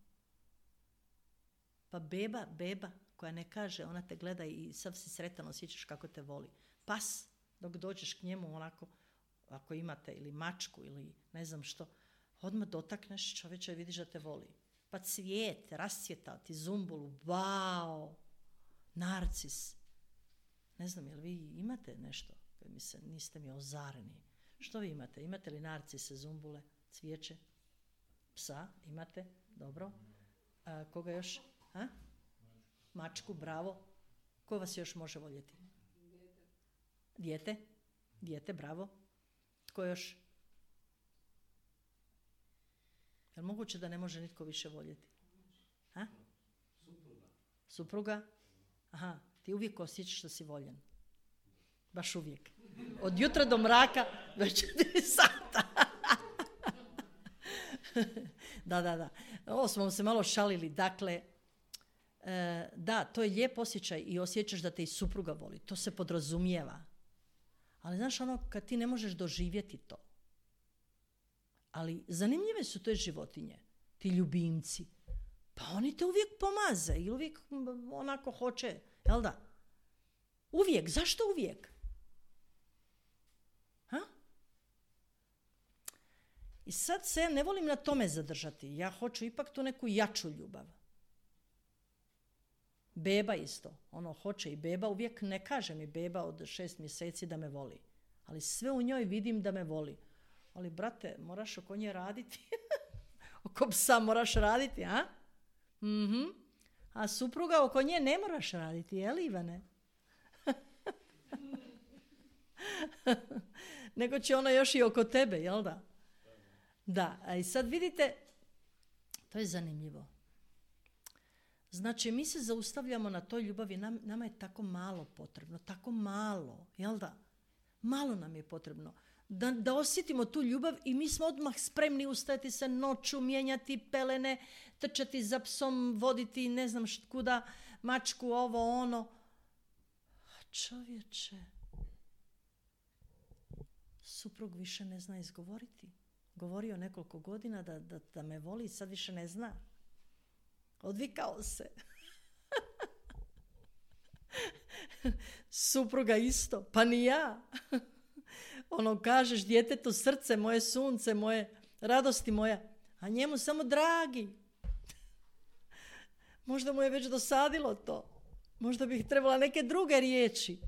Pa beba, beba koja ne kaže, ona te gleda i sav si sretan, osjećaš kako te voli. Pas, dok dođeš k njemu onako, ako imate ili mačku ili ne znam što, odmah dotakneš čovječa i vidiš da te voli. Pa cvijet, rascvjetao ti zumbulu, wow, narcis. Ne znam, jel vi imate nešto? Mi se, niste mi ozareni. Što vi imate? Imate li narcise, zumbule, cvijeće? Psa imate? Dobro. A, koga još? A? Mačku, bravo. Ko vas još može voljeti? Dijete. Dijete, bravo. Tko još? Je li moguće da ne može nitko više voljeti? A? Supruga. Supruga? Aha, ti uvijek osjećaš da si voljen. Baš uvijek. Od jutra do mraka, već četiri sata. Da, da, da. Ovo smo se malo šalili. Dakle, e, da, to je lijep osjećaj i osjećaš da te i supruga voli. To se podrazumijeva. Ali znaš ono, kad ti ne možeš doživjeti to. Ali zanimljive su te životinje, ti ljubimci. Pa oni te uvijek pomaze i uvijek onako hoće, jel da? Uvijek, zašto uvijek? Ha? I sad se ne volim na tome zadržati. Ja hoću ipak tu neku jaču ljubav. Beba isto. Ono, hoće i beba. Uvijek ne kaže mi beba od šest mjeseci da me voli. Ali sve u njoj vidim da me voli. Ali, brate, moraš oko nje raditi. Oko psa moraš raditi, a? Mhm. A supruga oko nje ne moraš raditi, jel, Ivane? Nego će ona još i oko tebe, jel da? Da, a i sad vidite, to je zanimljivo. Znači, mi se zaustavljamo na toj ljubavi, nam, nama je tako malo potrebno, tako malo, jel da? Malo nam je potrebno. Da, da osjetimo tu ljubav i mi smo odmah spremni ustajati se noću, mijenjati pelene, trčati za psom, voditi ne znam kuda, mačku, ovo, ono. A čovječe, suprug više ne zna izgovoriti. Govorio nekoliko godina da, da, da me voli i sad više ne zna. Odvikao se. Supruga isto, pa ni ja. Ono, kažeš djetetu srce, moje sunce, moje radosti moja, a njemu samo dragi. Možda mu je već dosadilo to. Možda bih trebala neke druge riječi.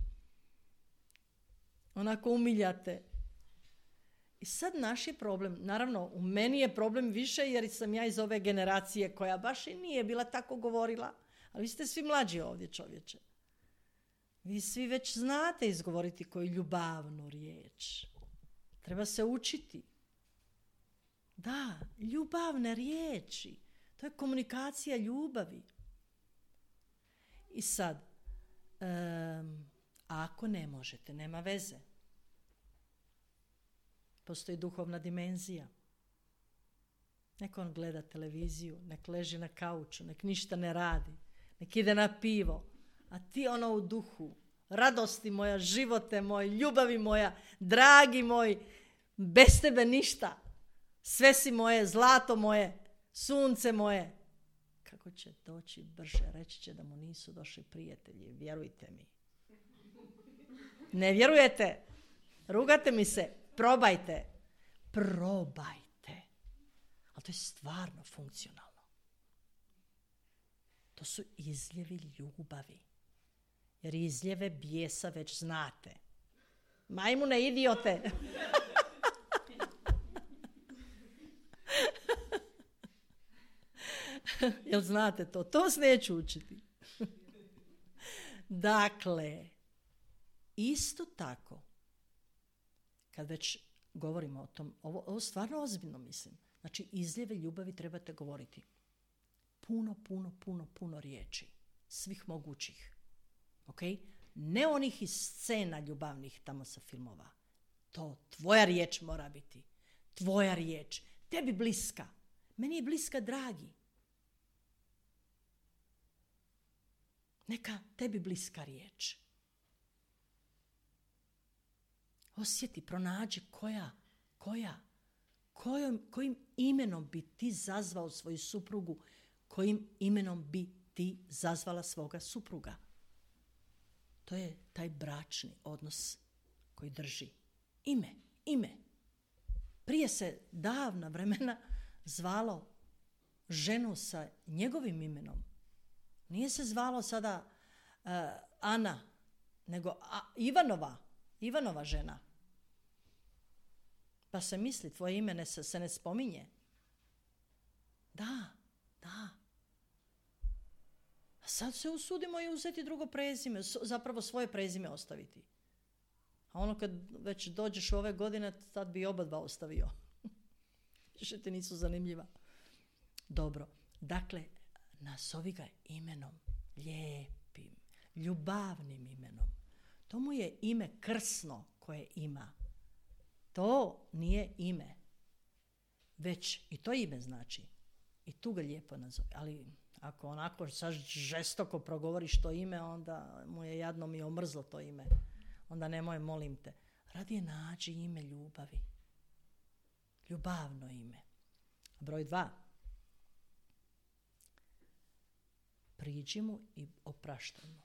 Onako umiljate. I sad naš je problem, naravno u meni je problem više jer sam ja iz ove generacije koja baš i nije bila tako govorila, ali vi ste svi mlađi ovdje, čovječe. Vi svi već znate izgovoriti koju ljubavnu riječ. Treba se učiti. Da, ljubavne riječi. To je komunikacija ljubavi. I sad, um, ako ne možete, nema veze. Postoji duhovna dimenzija. Nek on gleda televiziju, nek leži na kauču, nek ništa ne radi, nek ide na pivo. A ti ono u duhu, radosti moja, živote moj, ljubavi moja, dragi moj, bez tebe ništa. Sve si moje, zlato moje, sunce moje. Kako će doći brže, reći će da mu nisu došli prijatelji, vjerujte mi. Ne vjerujete? Rugate mi se? Probajte. Probajte. Ali to je stvarno funkcionalno. To su izljevi ljubavi. Jer izljeve bijesa već znate. Majmune, idiote. Jel znate to? To vas neću učiti. Dakle, isto tako, kad već govorimo o tom, ovo, ovo stvarno ozbiljno mislim. Znači, izljeve ljubavi trebate govoriti. Puno, puno, puno, puno riječi. Svih mogućih. Ok? Ne onih iz scena ljubavnih tamo sa filmova. To tvoja riječ mora biti. Tvoja riječ. Tebi bliska. Meni je bliska, dragi. Neka tebi bliska riječ. Osjeti, pronađi koja, koja, kojom, kojim imenom bi ti zazvao svoju suprugu, kojim imenom bi ti zazvala svoga supruga. To je taj bračni odnos koji drži. Ime, ime. Prije se davna vremena zvalo ženu sa njegovim imenom. Nije se zvalo sada uh, Ana, nego a, Ivanova, Ivanova žena. Pa se misli, tvoje ime ne, se ne spominje. Da, da. A sad se usudimo i uzeti drugo prezime, zapravo svoje prezime ostaviti. A ono kad već dođeš ove godine, tad bi oba dva ostavio. Više ti nisu zanimljiva. Dobro, dakle, nazovi ga imenom, lijepim, ljubavnim imenom. To mu je ime krsno koje ima. To nije ime. Već i to ime znači. I tu ga lijepo nazovi. Ali ako onako sad žestoko progovoriš to ime, onda mu je jadno mi omrzlo to ime. Onda nemoj, molim te. Radije nađi ime ljubavi. Ljubavno ime. Broj dva. Priđi mu i opraštaj mu.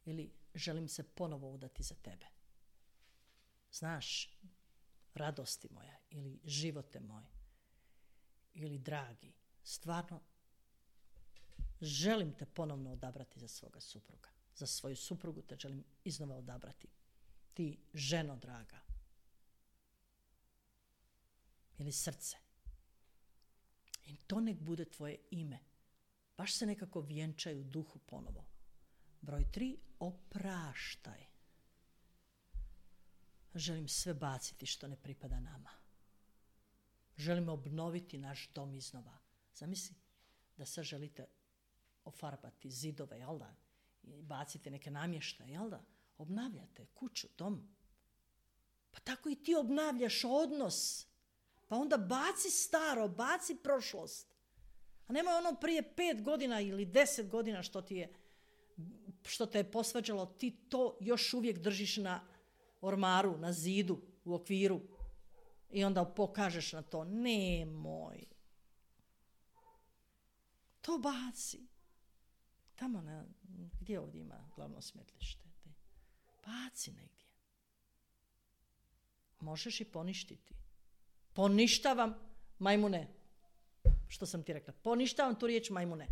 Ili želim se ponovo udati za tebe. Znaš, radosti moja ili živote moj ili dragi, stvarno želim te ponovno odabrati za svoga supruga. Za svoju suprugu te želim iznova odabrati. Ti, ženo draga. Ili srce. I to nek bude tvoje ime. Baš se nekako vjenčaju duhu ponovo. Broj tri, opraštaj. Želim sve baciti što ne pripada nama. Želim obnoviti naš dom iznova. Zamisli da sad želite ofarbati zidove, jel da? I baciti neke namještaje, jel da? Obnavljate kuću, dom. Pa tako i ti obnavljaš odnos. Pa onda baci staro, baci prošlost. A nemoj ono prije pet godina ili deset godina što ti je, što te je posvađalo, ti to još uvijek držiš na ormaru, na zidu, u okviru. I onda pokažeš na to. Nemoj. To baci. Tamo na, gdje ovdje ima glavno smetlište? Baci negdje. Možeš i poništiti. Poništavam, majmune. Što sam ti rekla? Poništavam tu riječ, majmune.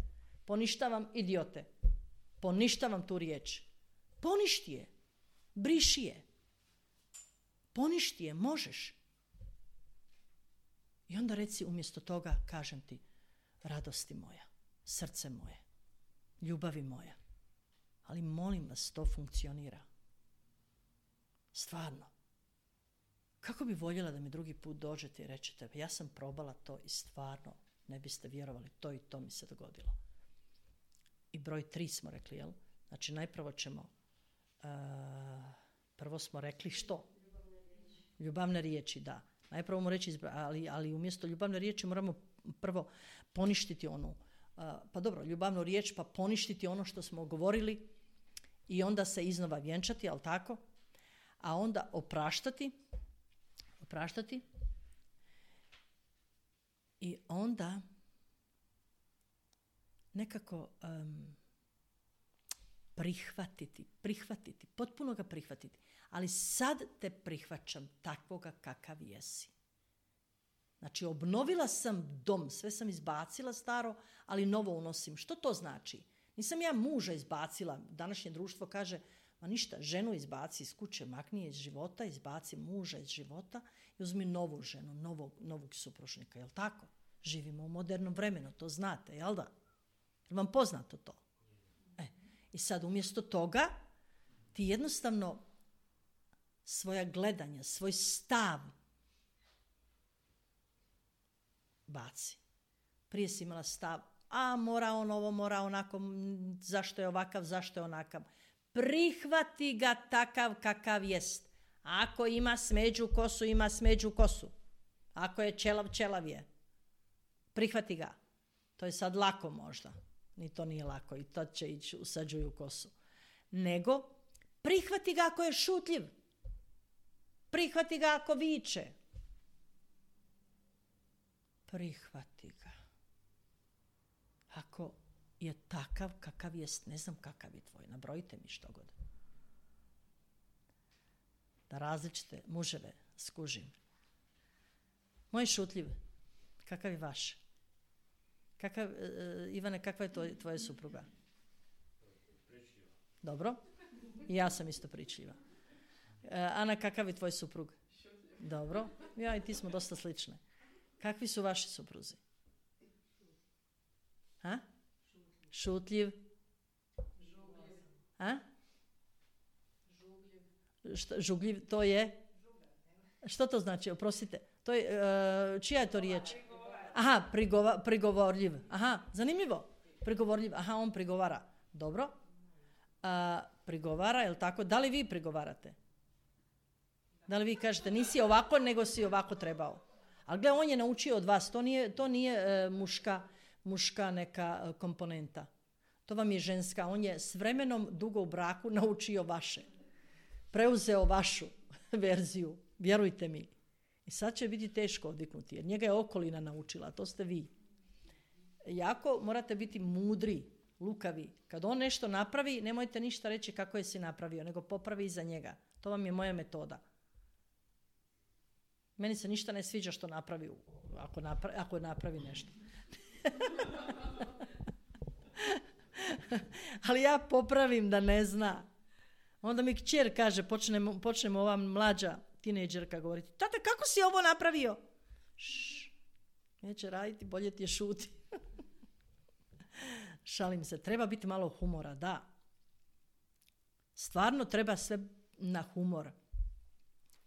Poništavam, idiote. poništavam tu riječ. Poništi je. Briši je. Poništi je, možeš. I onda reci umjesto toga, kažem ti, radosti moja, srce moje, ljubavi moja. Ali molim vas, to funkcionira. Stvarno. Kako bi voljela da mi drugi put dođete i rečete, ja sam probala to i stvarno ne biste vjerovali, to i to mi se dogodilo. I broj tri smo rekli, jel? Znači, najprvo ćemo, uh, prvo smo rekli što? Ljubavne riječi, da. Najprvo mu reći, ali, ali umjesto ljubavne riječi moramo prvo poništiti onu, uh, pa dobro, ljubavnu riječ, pa poništiti ono što smo govorili i onda se iznova vjenčati, jel tako? A onda opraštati, opraštati i onda nekako um, prihvatiti, prihvatiti, potpuno ga prihvatiti. Ali sad te prihvaćam takvoga kakav jesi. Znači, obnovila sam dom, sve sam izbacila staro, ali novo unosim. Što to znači? Nisam ja muža izbacila. Današnje društvo kaže, ma ništa, ženu izbaci iz kuće, makni je iz života, izbaci muža iz života i uzmi novu ženu, novog, novog supružnika. Jel tako? Živimo u modernom vremenu, to znate, jel da? Je vam poznato to? E, i sad umjesto toga ti jednostavno svoja gledanja, svoj stav baci. Prije si imala stav, a mora on ovo, mora onako, zašto je ovakav, zašto je onakav. Prihvati ga takav kakav jest. Ako ima smeđu kosu, ima smeđu kosu. Ako je čelav, čelav je. Prihvati ga. To je sad lako možda. Ni to nije lako i tad će ići usađuju kosu. Nego, prihvati ga ako je šutljiv. Prihvati ga ako viče. Prihvati ga. Ako je takav kakav jest, ne znam kakav je tvoj, nabrojite mi što god. Da različite muževe skužim. Moj šutljiv, kakav je vaš? Kakav, uh, Ivane, kakva je to, tvoja supruga? Pričljiva. Dobro. I ja sam isto pričljiva. Uh, Ana, kakav je tvoj suprug? Šutljiv. Dobro. Ja i ti smo dosta slične. Kakvi su vaši supruzi? Ha? Šutljiv. Žugljiv. A? Žugljiv. Šta, žugljiv, to je? Što to znači? Oprostite. To je, uh, čija je to riječ? Aha, prigova, prigovorljiv. Aha, zanimljivo. Prigovorljiv. Aha, on prigovara. Dobro. Uh, prigovara, je li tako? Da li vi prigovarate? Da li vi kažete, nisi ovako, nego si ovako trebao? Ali gle, on je naučio od vas. To nije, to nije uh, muška, muška neka uh, komponenta. To vam je ženska. On je s vremenom dugo u braku naučio vaše. Preuzeo vašu verziju. Vjerujte mi. I sad će biti teško odviknuti, jer njega je okolina naučila, to ste vi. Jako morate biti mudri, lukavi. Kad on nešto napravi, nemojte ništa reći kako je si napravio, nego popravi iza njega. To vam je moja metoda. Meni se ništa ne sviđa što napravi, ako napravi, ako napravi nešto. Ali ja popravim da ne zna. Onda mi kćer kaže, počnemo, počnemo ova mlađa tinejdžerka govoriti, tata, kako si ovo napravio? Šš, neće raditi, bolje ti je šuti. Šalim se, treba biti malo humora, da. Stvarno treba sve na humor.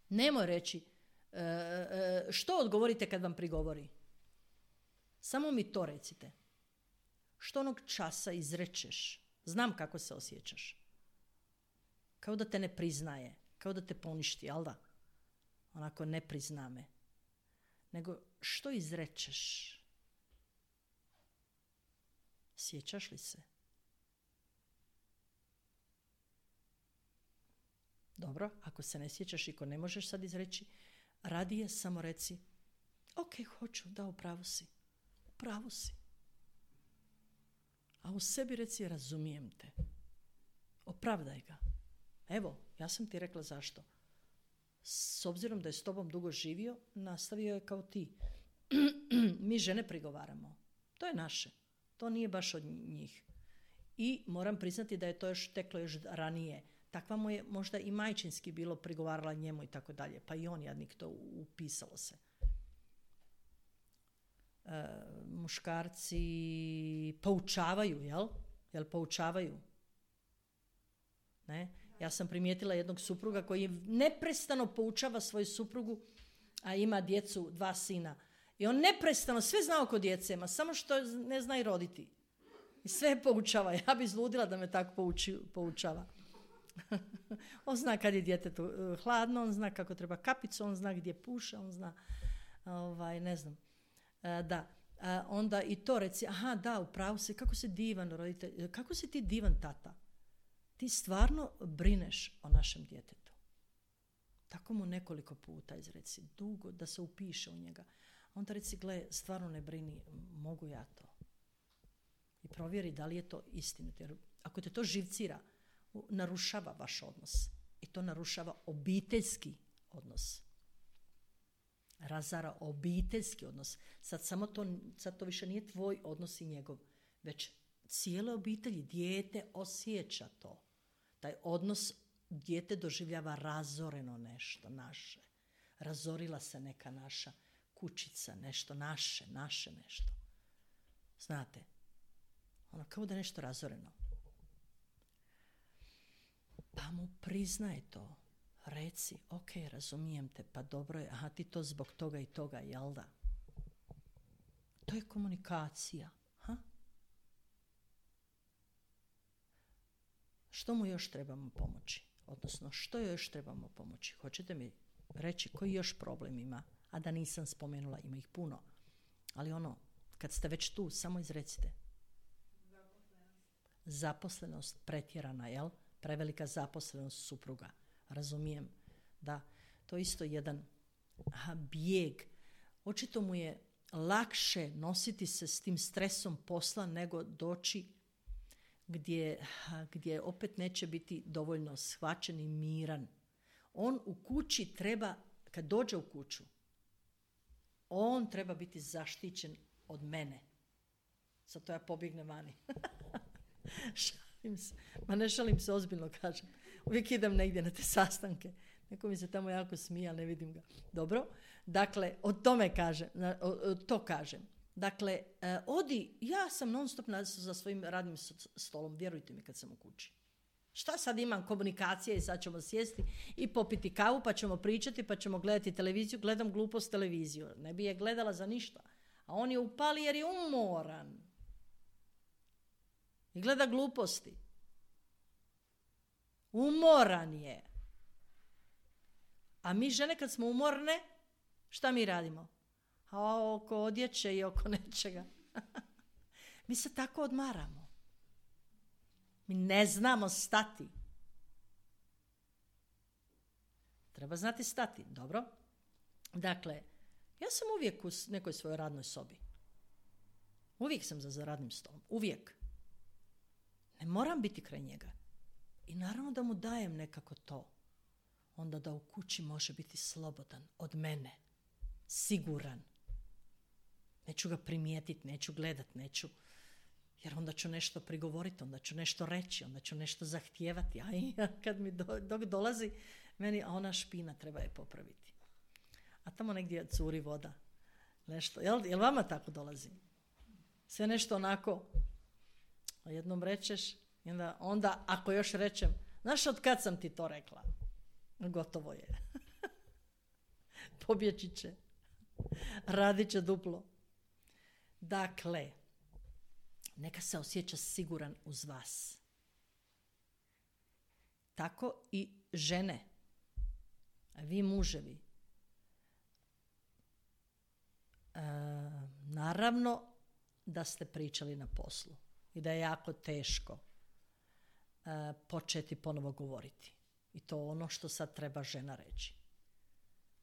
Nemoj reći, e, e, što odgovorite kad vam prigovori? Samo mi to recite. Što onog časa izrečeš? Znam kako se osjećaš. Kao da te ne priznaje, kao da te poništi, jel da? Onako ne prizna me. Nego što izrečeš? Sjećaš li se? Dobro, ako se ne sjećaš i ako ne možeš sad izreći, radije samo reci, ok, hoću, da, u pravu si. U pravu si. A u sebi reci, razumijem te. Opravdaj ga. Evo, ja sam ti rekla zašto. S obzirom da je s tobom dugo živio, nastavio je kao ti. Mi žene prigovaramo. To je naše. To nije baš od njih. I moram priznati da je to još teklo još ranije. Takva mu je možda i majčinski bilo, prigovarala njemu i tako dalje. Pa i on jadnik to upisalo se. E, muškarci poučavaju, jel? Jel poučavaju? Ne? Ja sam primijetila jednog supruga koji neprestano poučava svoju suprugu, a ima djecu, dva sina. I on neprestano sve zna oko djece, ma samo što ne zna i roditi. I sve poučava. Ja bi zludila da me tako pouči, poučava. On zna kad je djetetu hladno, on zna kako treba kapicu, on zna gdje puše, on zna, ovaj, ne znam. E, da, e, onda i to reci, aha, da, upravo se, kako se divan roditelj, kako si ti divan tata. Ti stvarno brineš o našem djetetu. Tako mu nekoliko puta izreci, dugo, da se upiše u njega. Onda reci, gle, stvarno ne brini, mogu ja to. I provjeri da li je to istinito. Jer ako te to živcira, narušava vaš odnos. I to narušava obiteljski odnos. Razara obiteljski odnos. Sad samo to, sad to više nije tvoj odnos i njegov, već cijele obitelji. Dijete osjeća to. Taj odnos dijete doživljava razoreno nešto naše. Razorila se neka naša kućica, nešto naše, naše nešto. Znate, ono kao da je nešto razoreno. Pa mu priznaj to. Reci, ok, razumijem te, pa dobro je, aha, ti to zbog toga i toga, jel da? To je komunikacija. Ha? Što mu još trebamo pomoći? Odnosno, što još trebamo pomoći? Hoćete mi reći koji još problem ima? A da nisam spomenula, ima ih puno. Ali ono, kad ste već tu, samo izrecite. Zaposlenost. Zaposlenost pretjerana, jel? Prevelika zaposlenost supruga. Razumijem, da. To je isto jedan aha, bijeg. Očito mu je lakše nositi se s tim stresom posla nego doći gdje, gdje opet neće biti dovoljno shvaćen i miran. On u kući treba, kad dođe u kuću, on treba biti zaštićen od mene. Sad to ja pobjegnem vani. Šalim se. Ma ne šalim se, ozbiljno kažem. Uvijek idem negdje na te sastanke. Neko mi se tamo jako smije, ali ne vidim ga. Dobro? Dakle, o tome kažem, o, o, to kažem. Dakle, e, odi, ja sam non stop na, za svojim radnim stolom, vjerujte mi kad sam u kući. Šta sad imam komunikacije i sad ćemo sjesti i popiti kavu, pa ćemo pričati, pa ćemo gledati televiziju. Gledam glupost televiziju. Ne bi je gledala za ništa. A on je upali jer je umoran. I gleda gluposti. Umoran je. A mi žene kad smo umorne, šta mi radimo? A oko odjeće i oko nečega. Mi se tako odmaramo. Mi ne znamo stati. Treba znati stati, dobro? Dakle, ja sam uvijek u nekoj svojoj radnoj sobi. Uvijek sam za radnim stolom. Uvijek. Ne moram biti kraj njega. I naravno da mu dajem nekako to. Onda da u kući može biti slobodan od mene. Siguran. Neću ga primijetiti, neću gledat, neću. Jer onda ću nešto prigovoriti, onda ću nešto reći, onda ću nešto zahtijevati. A i kad mi do, dok dolazi, meni a ona špina treba je popraviti. A tamo negdje curi voda. Nešto. Jel, jel vama tako dolazi? Sve nešto onako, jednom rečeš, i onda, onda ako još rečem, znaš od kad sam ti to rekla? Gotovo je. Pobjeći će. Radit će duplo. Dakle, neka se osjeća siguran uz vas. Tako i žene. A vi muževi. E, naravno da ste pričali na poslu i da je jako teško e, početi ponovo govoriti. I to ono što sad treba žena reći.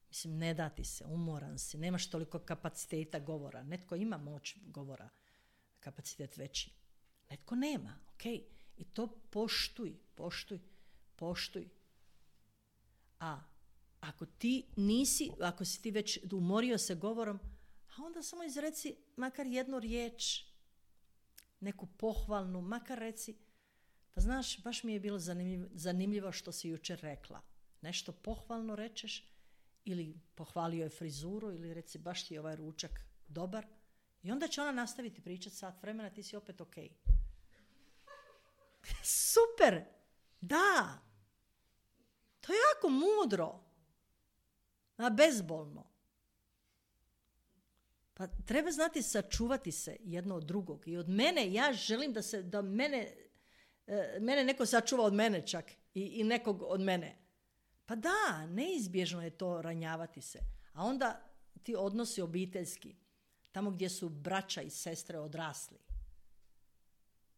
Mislim, ne da ti se, umoran si, nemaš toliko kapaciteta govora. Netko ima moć govora, kapacitet veći. Netko nema, ok. I to poštuj, poštuj, poštuj. A ako ti nisi, ako si ti već umorio se govorom, a onda samo izreci makar jednu riječ, neku pohvalnu, makar reci, Pa znaš, baš mi je bilo zanimljivo, zanimljivo što si jučer rekla. Nešto pohvalno rečeš ili pohvalio je frizuru ili reci baš ti je ovaj ručak dobar i onda će ona nastaviti pričati sat vremena, ti si opet ok. Super! Da! To je jako mudro. A bezbolno. Pa treba znati sačuvati se jedno od drugog. I od mene, ja želim da se, da mene, e, mene neko sačuva od mene čak. I, i nekog od mene. Pa da, neizbježno je to ranjavati se. A onda ti odnosi obiteljski. Tamo gdje su braća i sestre odrasli.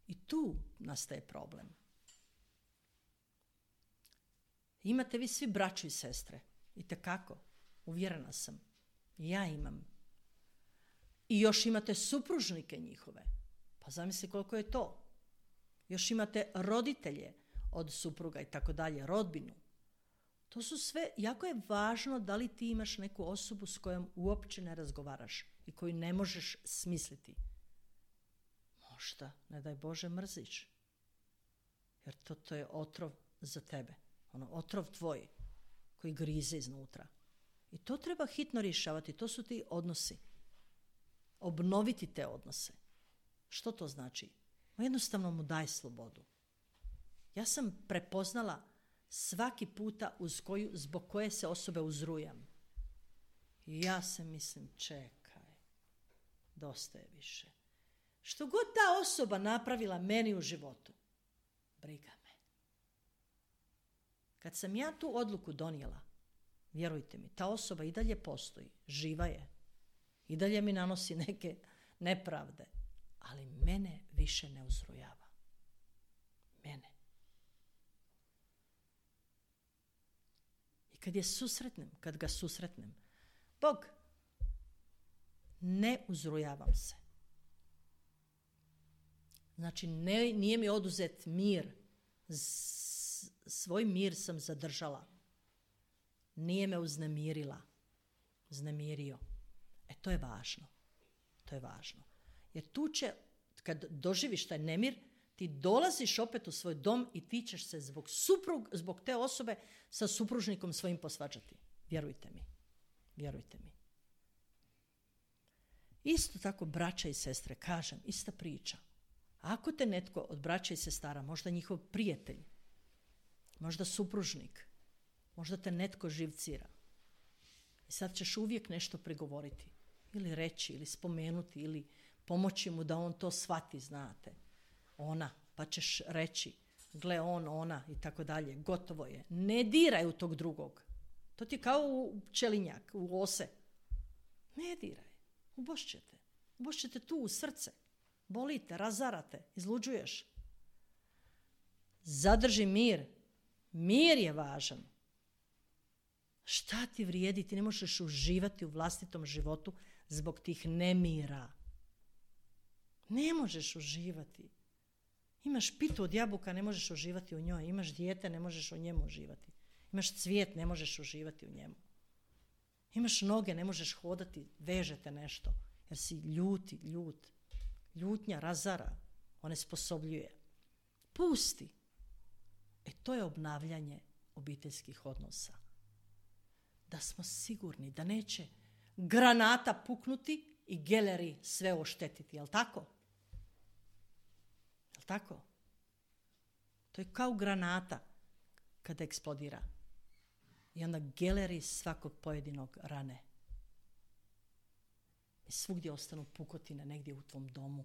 I tu nastaje problem. Imate vi svi braću i sestre. Itekako. Uvjerena sam. Ja imam. I još imate supružnike njihove. Pa zamisli koliko je to. Još imate roditelje od supruga i tako dalje, rodbinu. To su sve, jako je važno da li ti imaš neku osobu s kojom uopće ne razgovaraš i koju ne možeš smisliti. Možda, ne daj Bože, mrziš. Jer to, to je otrov za tebe. Ono, otrov tvoj koji grize iznutra. I to treba hitno rješavati. To su ti odnosi. Obnoviti te odnose. Što to znači? Jednostavno mu daj slobodu. Ja sam prepoznala svaki puta uz koju, zbog koje se osobe uzrujam. I ja se mislim, čekaj, dosta je više. Što god ta osoba napravila meni u životu, briga me. Kad sam ja tu odluku donijela, vjerujte mi, ta osoba i dalje postoji, živa je. I dalje mi nanosi neke nepravde, ali mene više ne uzrujava. Mene. I kad je susretnem, kad ga susretnem, Bog, ne uzrujavam se. Znači, ne, nije mi oduzet mir. Z, svoj mir sam zadržala. Nije me uznemirila. Uznemirio. E, to je važno. To je važno. Jer tu će, kad doživiš taj nemir, ti dolaziš opet u svoj dom i ti ćeš se zbog, suprug, zbog te osobe sa supružnikom svojim posvađati. Vjerujte mi. Vjerujte mi. Isto tako braća i sestre, kažem, ista priča. Ako te netko od braća i sestara, možda njihov prijatelj, možda supružnik, možda te netko živcira. I sad ćeš uvijek nešto prigovoriti. Ili reći, ili spomenuti, ili pomoći mu da on to shvati, znate. Ona, pa ćeš reći, gle on, ona i tako dalje. Gotovo je. Ne diraj u tog drugog. To ti kao u pčelinjak, u ose. Ne diraj. Ubošćete. Ubošćete tu u srce. Bolite, razarate, izluđuješ. Zadrži mir. Mir je važan. Šta ti vrijedi? Ti ne možeš uživati u vlastitom životu zbog tih nemira. Ne možeš uživati. Imaš pitu od jabuka, ne možeš uživati u njoj. Imaš dijete, ne možeš u njemu uživati. Imaš cvijet, ne možeš uživati u njemu. Imaš noge, ne možeš hodati, vežete nešto. Jer si ljuti, ljut. Ljutnja razara, onesposobljuje. Pusti. E to je obnavljanje obiteljskih odnosa. Da smo sigurni da neće granata puknuti i geleri sve oštetiti. Jel' tako? Jel' tako? To je kao granata kada eksplodira. I onda geleri svakog pojedinog rane. I svugdje ostanu pukotine negdje u tvom domu.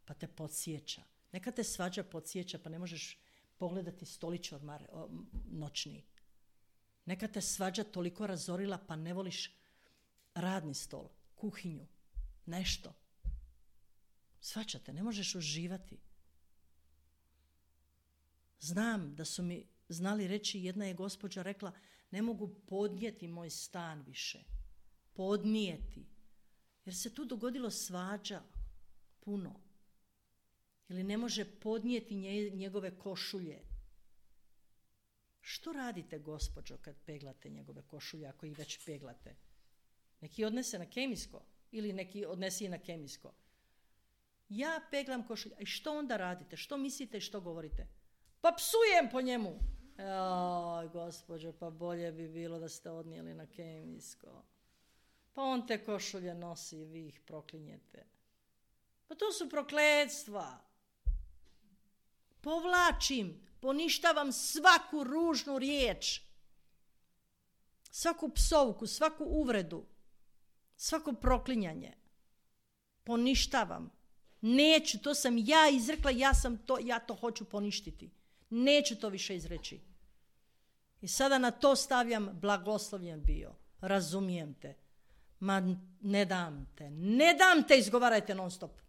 Pa te podsjeća. Neka te svađa podsjeća pa ne možeš pogledati stolić odmar, o, noćni. Neka te svađa toliko razorila pa ne voliš radni stol, kuhinju, nešto. Svađate, ne možeš uživati. Znam da su mi znali reći, jedna je gospođa rekla, ne mogu podnijeti moj stan više. Podnijeti. Jer se tu dogodilo svađa puno. Ili ne može podnijeti njegove košulje. Što radite, gospođo, kad peglate njegove košulje, ako ih već peglate? Neki odnese na kemijsko ili neki odnesi na kemijsko. Ja peglam košulje. I što onda radite? Što mislite i što govorite? pa psujem po njemu. Joj, gospođo, pa bolje bi bilo da ste odnijeli na kemijsko. Pa on te košulje nosi i vi ih proklinjete. Pa to su prokletstva. Povlačim, poništavam svaku ružnu riječ, svaku psovku, svaku uvredu, svako proklinjanje. Poništavam. Neću, to sam ja izrekla, ja, sam to, ja to hoću poništiti. Neću to više izreći. I sada na to stavljam blagoslovljen bio. Razumijem te. Ma ne dam te. Ne dam te, izgovarajte non stop.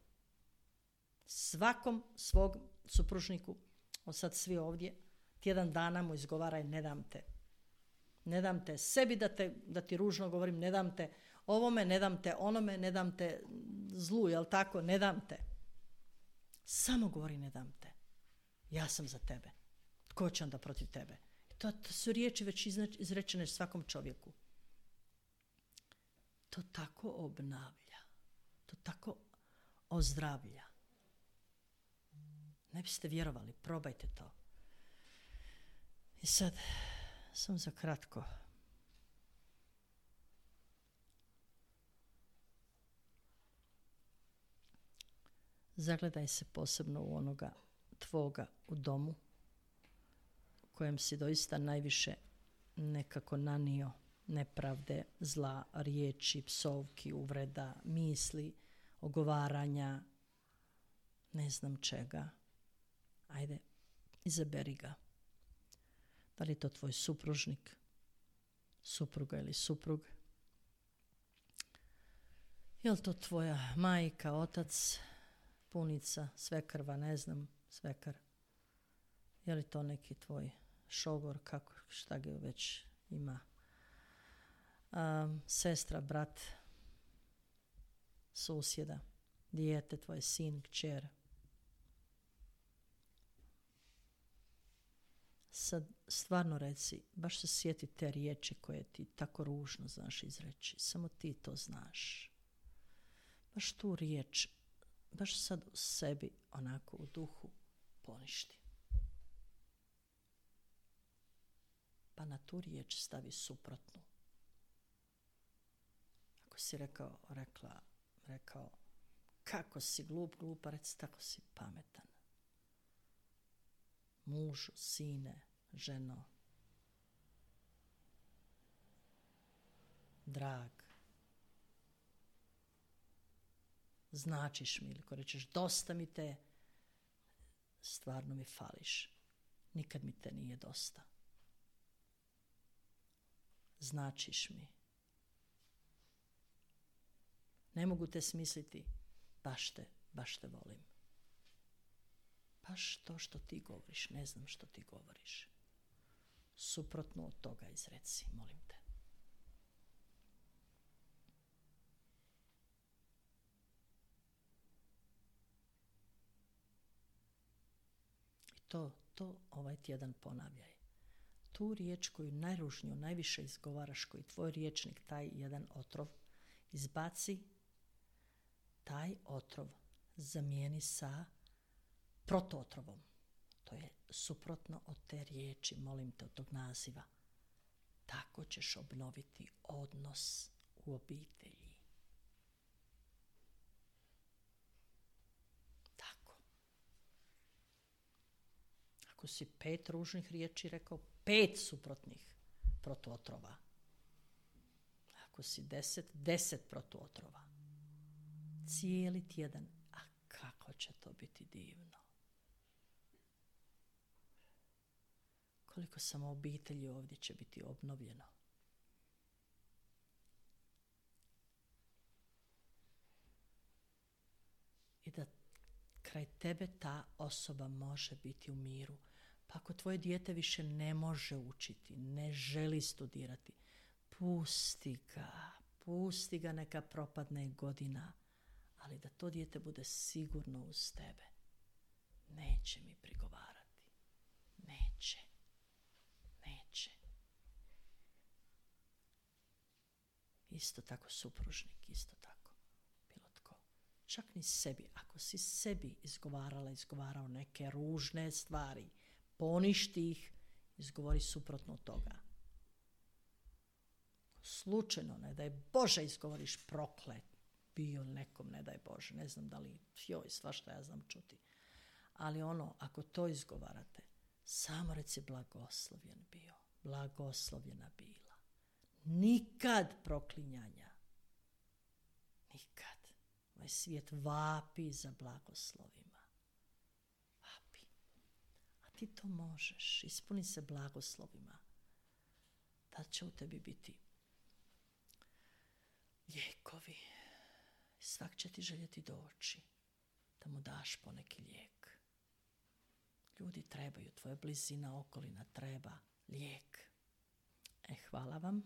Svakom svog supružniku, od sad svi ovdje, tjedan dana mu izgovaraj ne dam te. Ne dam te sebi da, te, da ti ružno govorim, ne dam te ovome, ne dam te onome, ne dam te zlu, jel tako? Ne dam te. Samo govori ne dam te. Ja sam za tebe. Tko će onda protiv tebe? To, to su riječi već izrečene svakom čovjeku. To tako obnavlja. To tako ozdravlja. Ne biste vjerovali, probajte to. I sad, sam za kratko. Zagledaj se posebno u onoga tvoga u domu, kojem si doista najviše nekako nanio nepravde, zla, riječi, psovki, uvreda, misli, ogovaranja, ne znam čega. Ajde, izaberi ga. Da li je to tvoj supružnik, supruga ili suprug? Je li to tvoja majka, otac, punica, svekrva, ne znam, svekar? Je li to neki tvoj šogor, kako, šta ga već ima? Um, sestra, brat, susjeda, dijete, tvoj sin, kćer. Sad stvarno reci, baš se sjeti te riječi koje ti tako ružno znaš izreći. Samo ti to znaš. Baš tu riječ, baš sad u sebi, onako u duhu, poništi. Pa na tu riječ stavi suprotnu. Ako si rekao, rekla, rekao, kako si glup, glupa, reci tako si pametan. Mužu, sine, ženo, drag, značiš mi, ili ko rečeš dosta mi te, stvarno mi fališ, nikad mi te nije dosta. Značiš mi. Ne mogu te smisliti, baš te, baš te volim. Baš to što ti govoriš, ne znam što ti govoriš. Suprotno od toga izreci, molim te. I to, to ovaj tjedan ponavljaj. Tu riječ koju najružniju, najviše izgovaraš, koji tvoj riječnik, taj jedan otrov, izbaci, taj otrov zamijeni sa protuotrovom. To je suprotno od te riječi, molim te, od tog naziva. Tako ćeš obnoviti odnos u obitelji. Tako. Ako si pet ružnih riječi rekao, pet suprotnih protuotrova. Ako si deset, deset protuotrova. Cijeli tjedan. A kako će to biti divno. Koliko samo obitelji ovdje će biti obnovljeno. I da kraj tebe ta osoba može biti u miru. Pa ako tvoje dijete više ne može učiti, ne želi studirati, pusti ga, pusti ga, neka propadne godina, ali da to dijete bude sigurno uz tebe. Neće mi prigovarati. Neće. Neće. Isto tako supružnik, isto tako. Bilo tko. Čak ni sebi. Ako si sebi izgovarala, izgovarao neke ružne stvari, poništi ih, izgovori suprotno od toga. Slučajno, ne daj Bože, izgovoriš proklet, bio nekom, ne daj Bože, ne znam da li, joj, svašta ja znam čuti. Ali ono, ako to izgovarate, samo reci blagoslovljen bio, blagoslovljena bila. Nikad proklinjanja. Nikad. Ovaj svijet vapi za blagoslovima. Vapi. A ti to možeš. Ispuni se blagoslovima. Tad će u tebi biti lijekovi. Svak će ti željeti doći da mu daš poneki lijek. Ljudi trebaju, tvoja blizina, okolina treba lijek. E, hvala vam.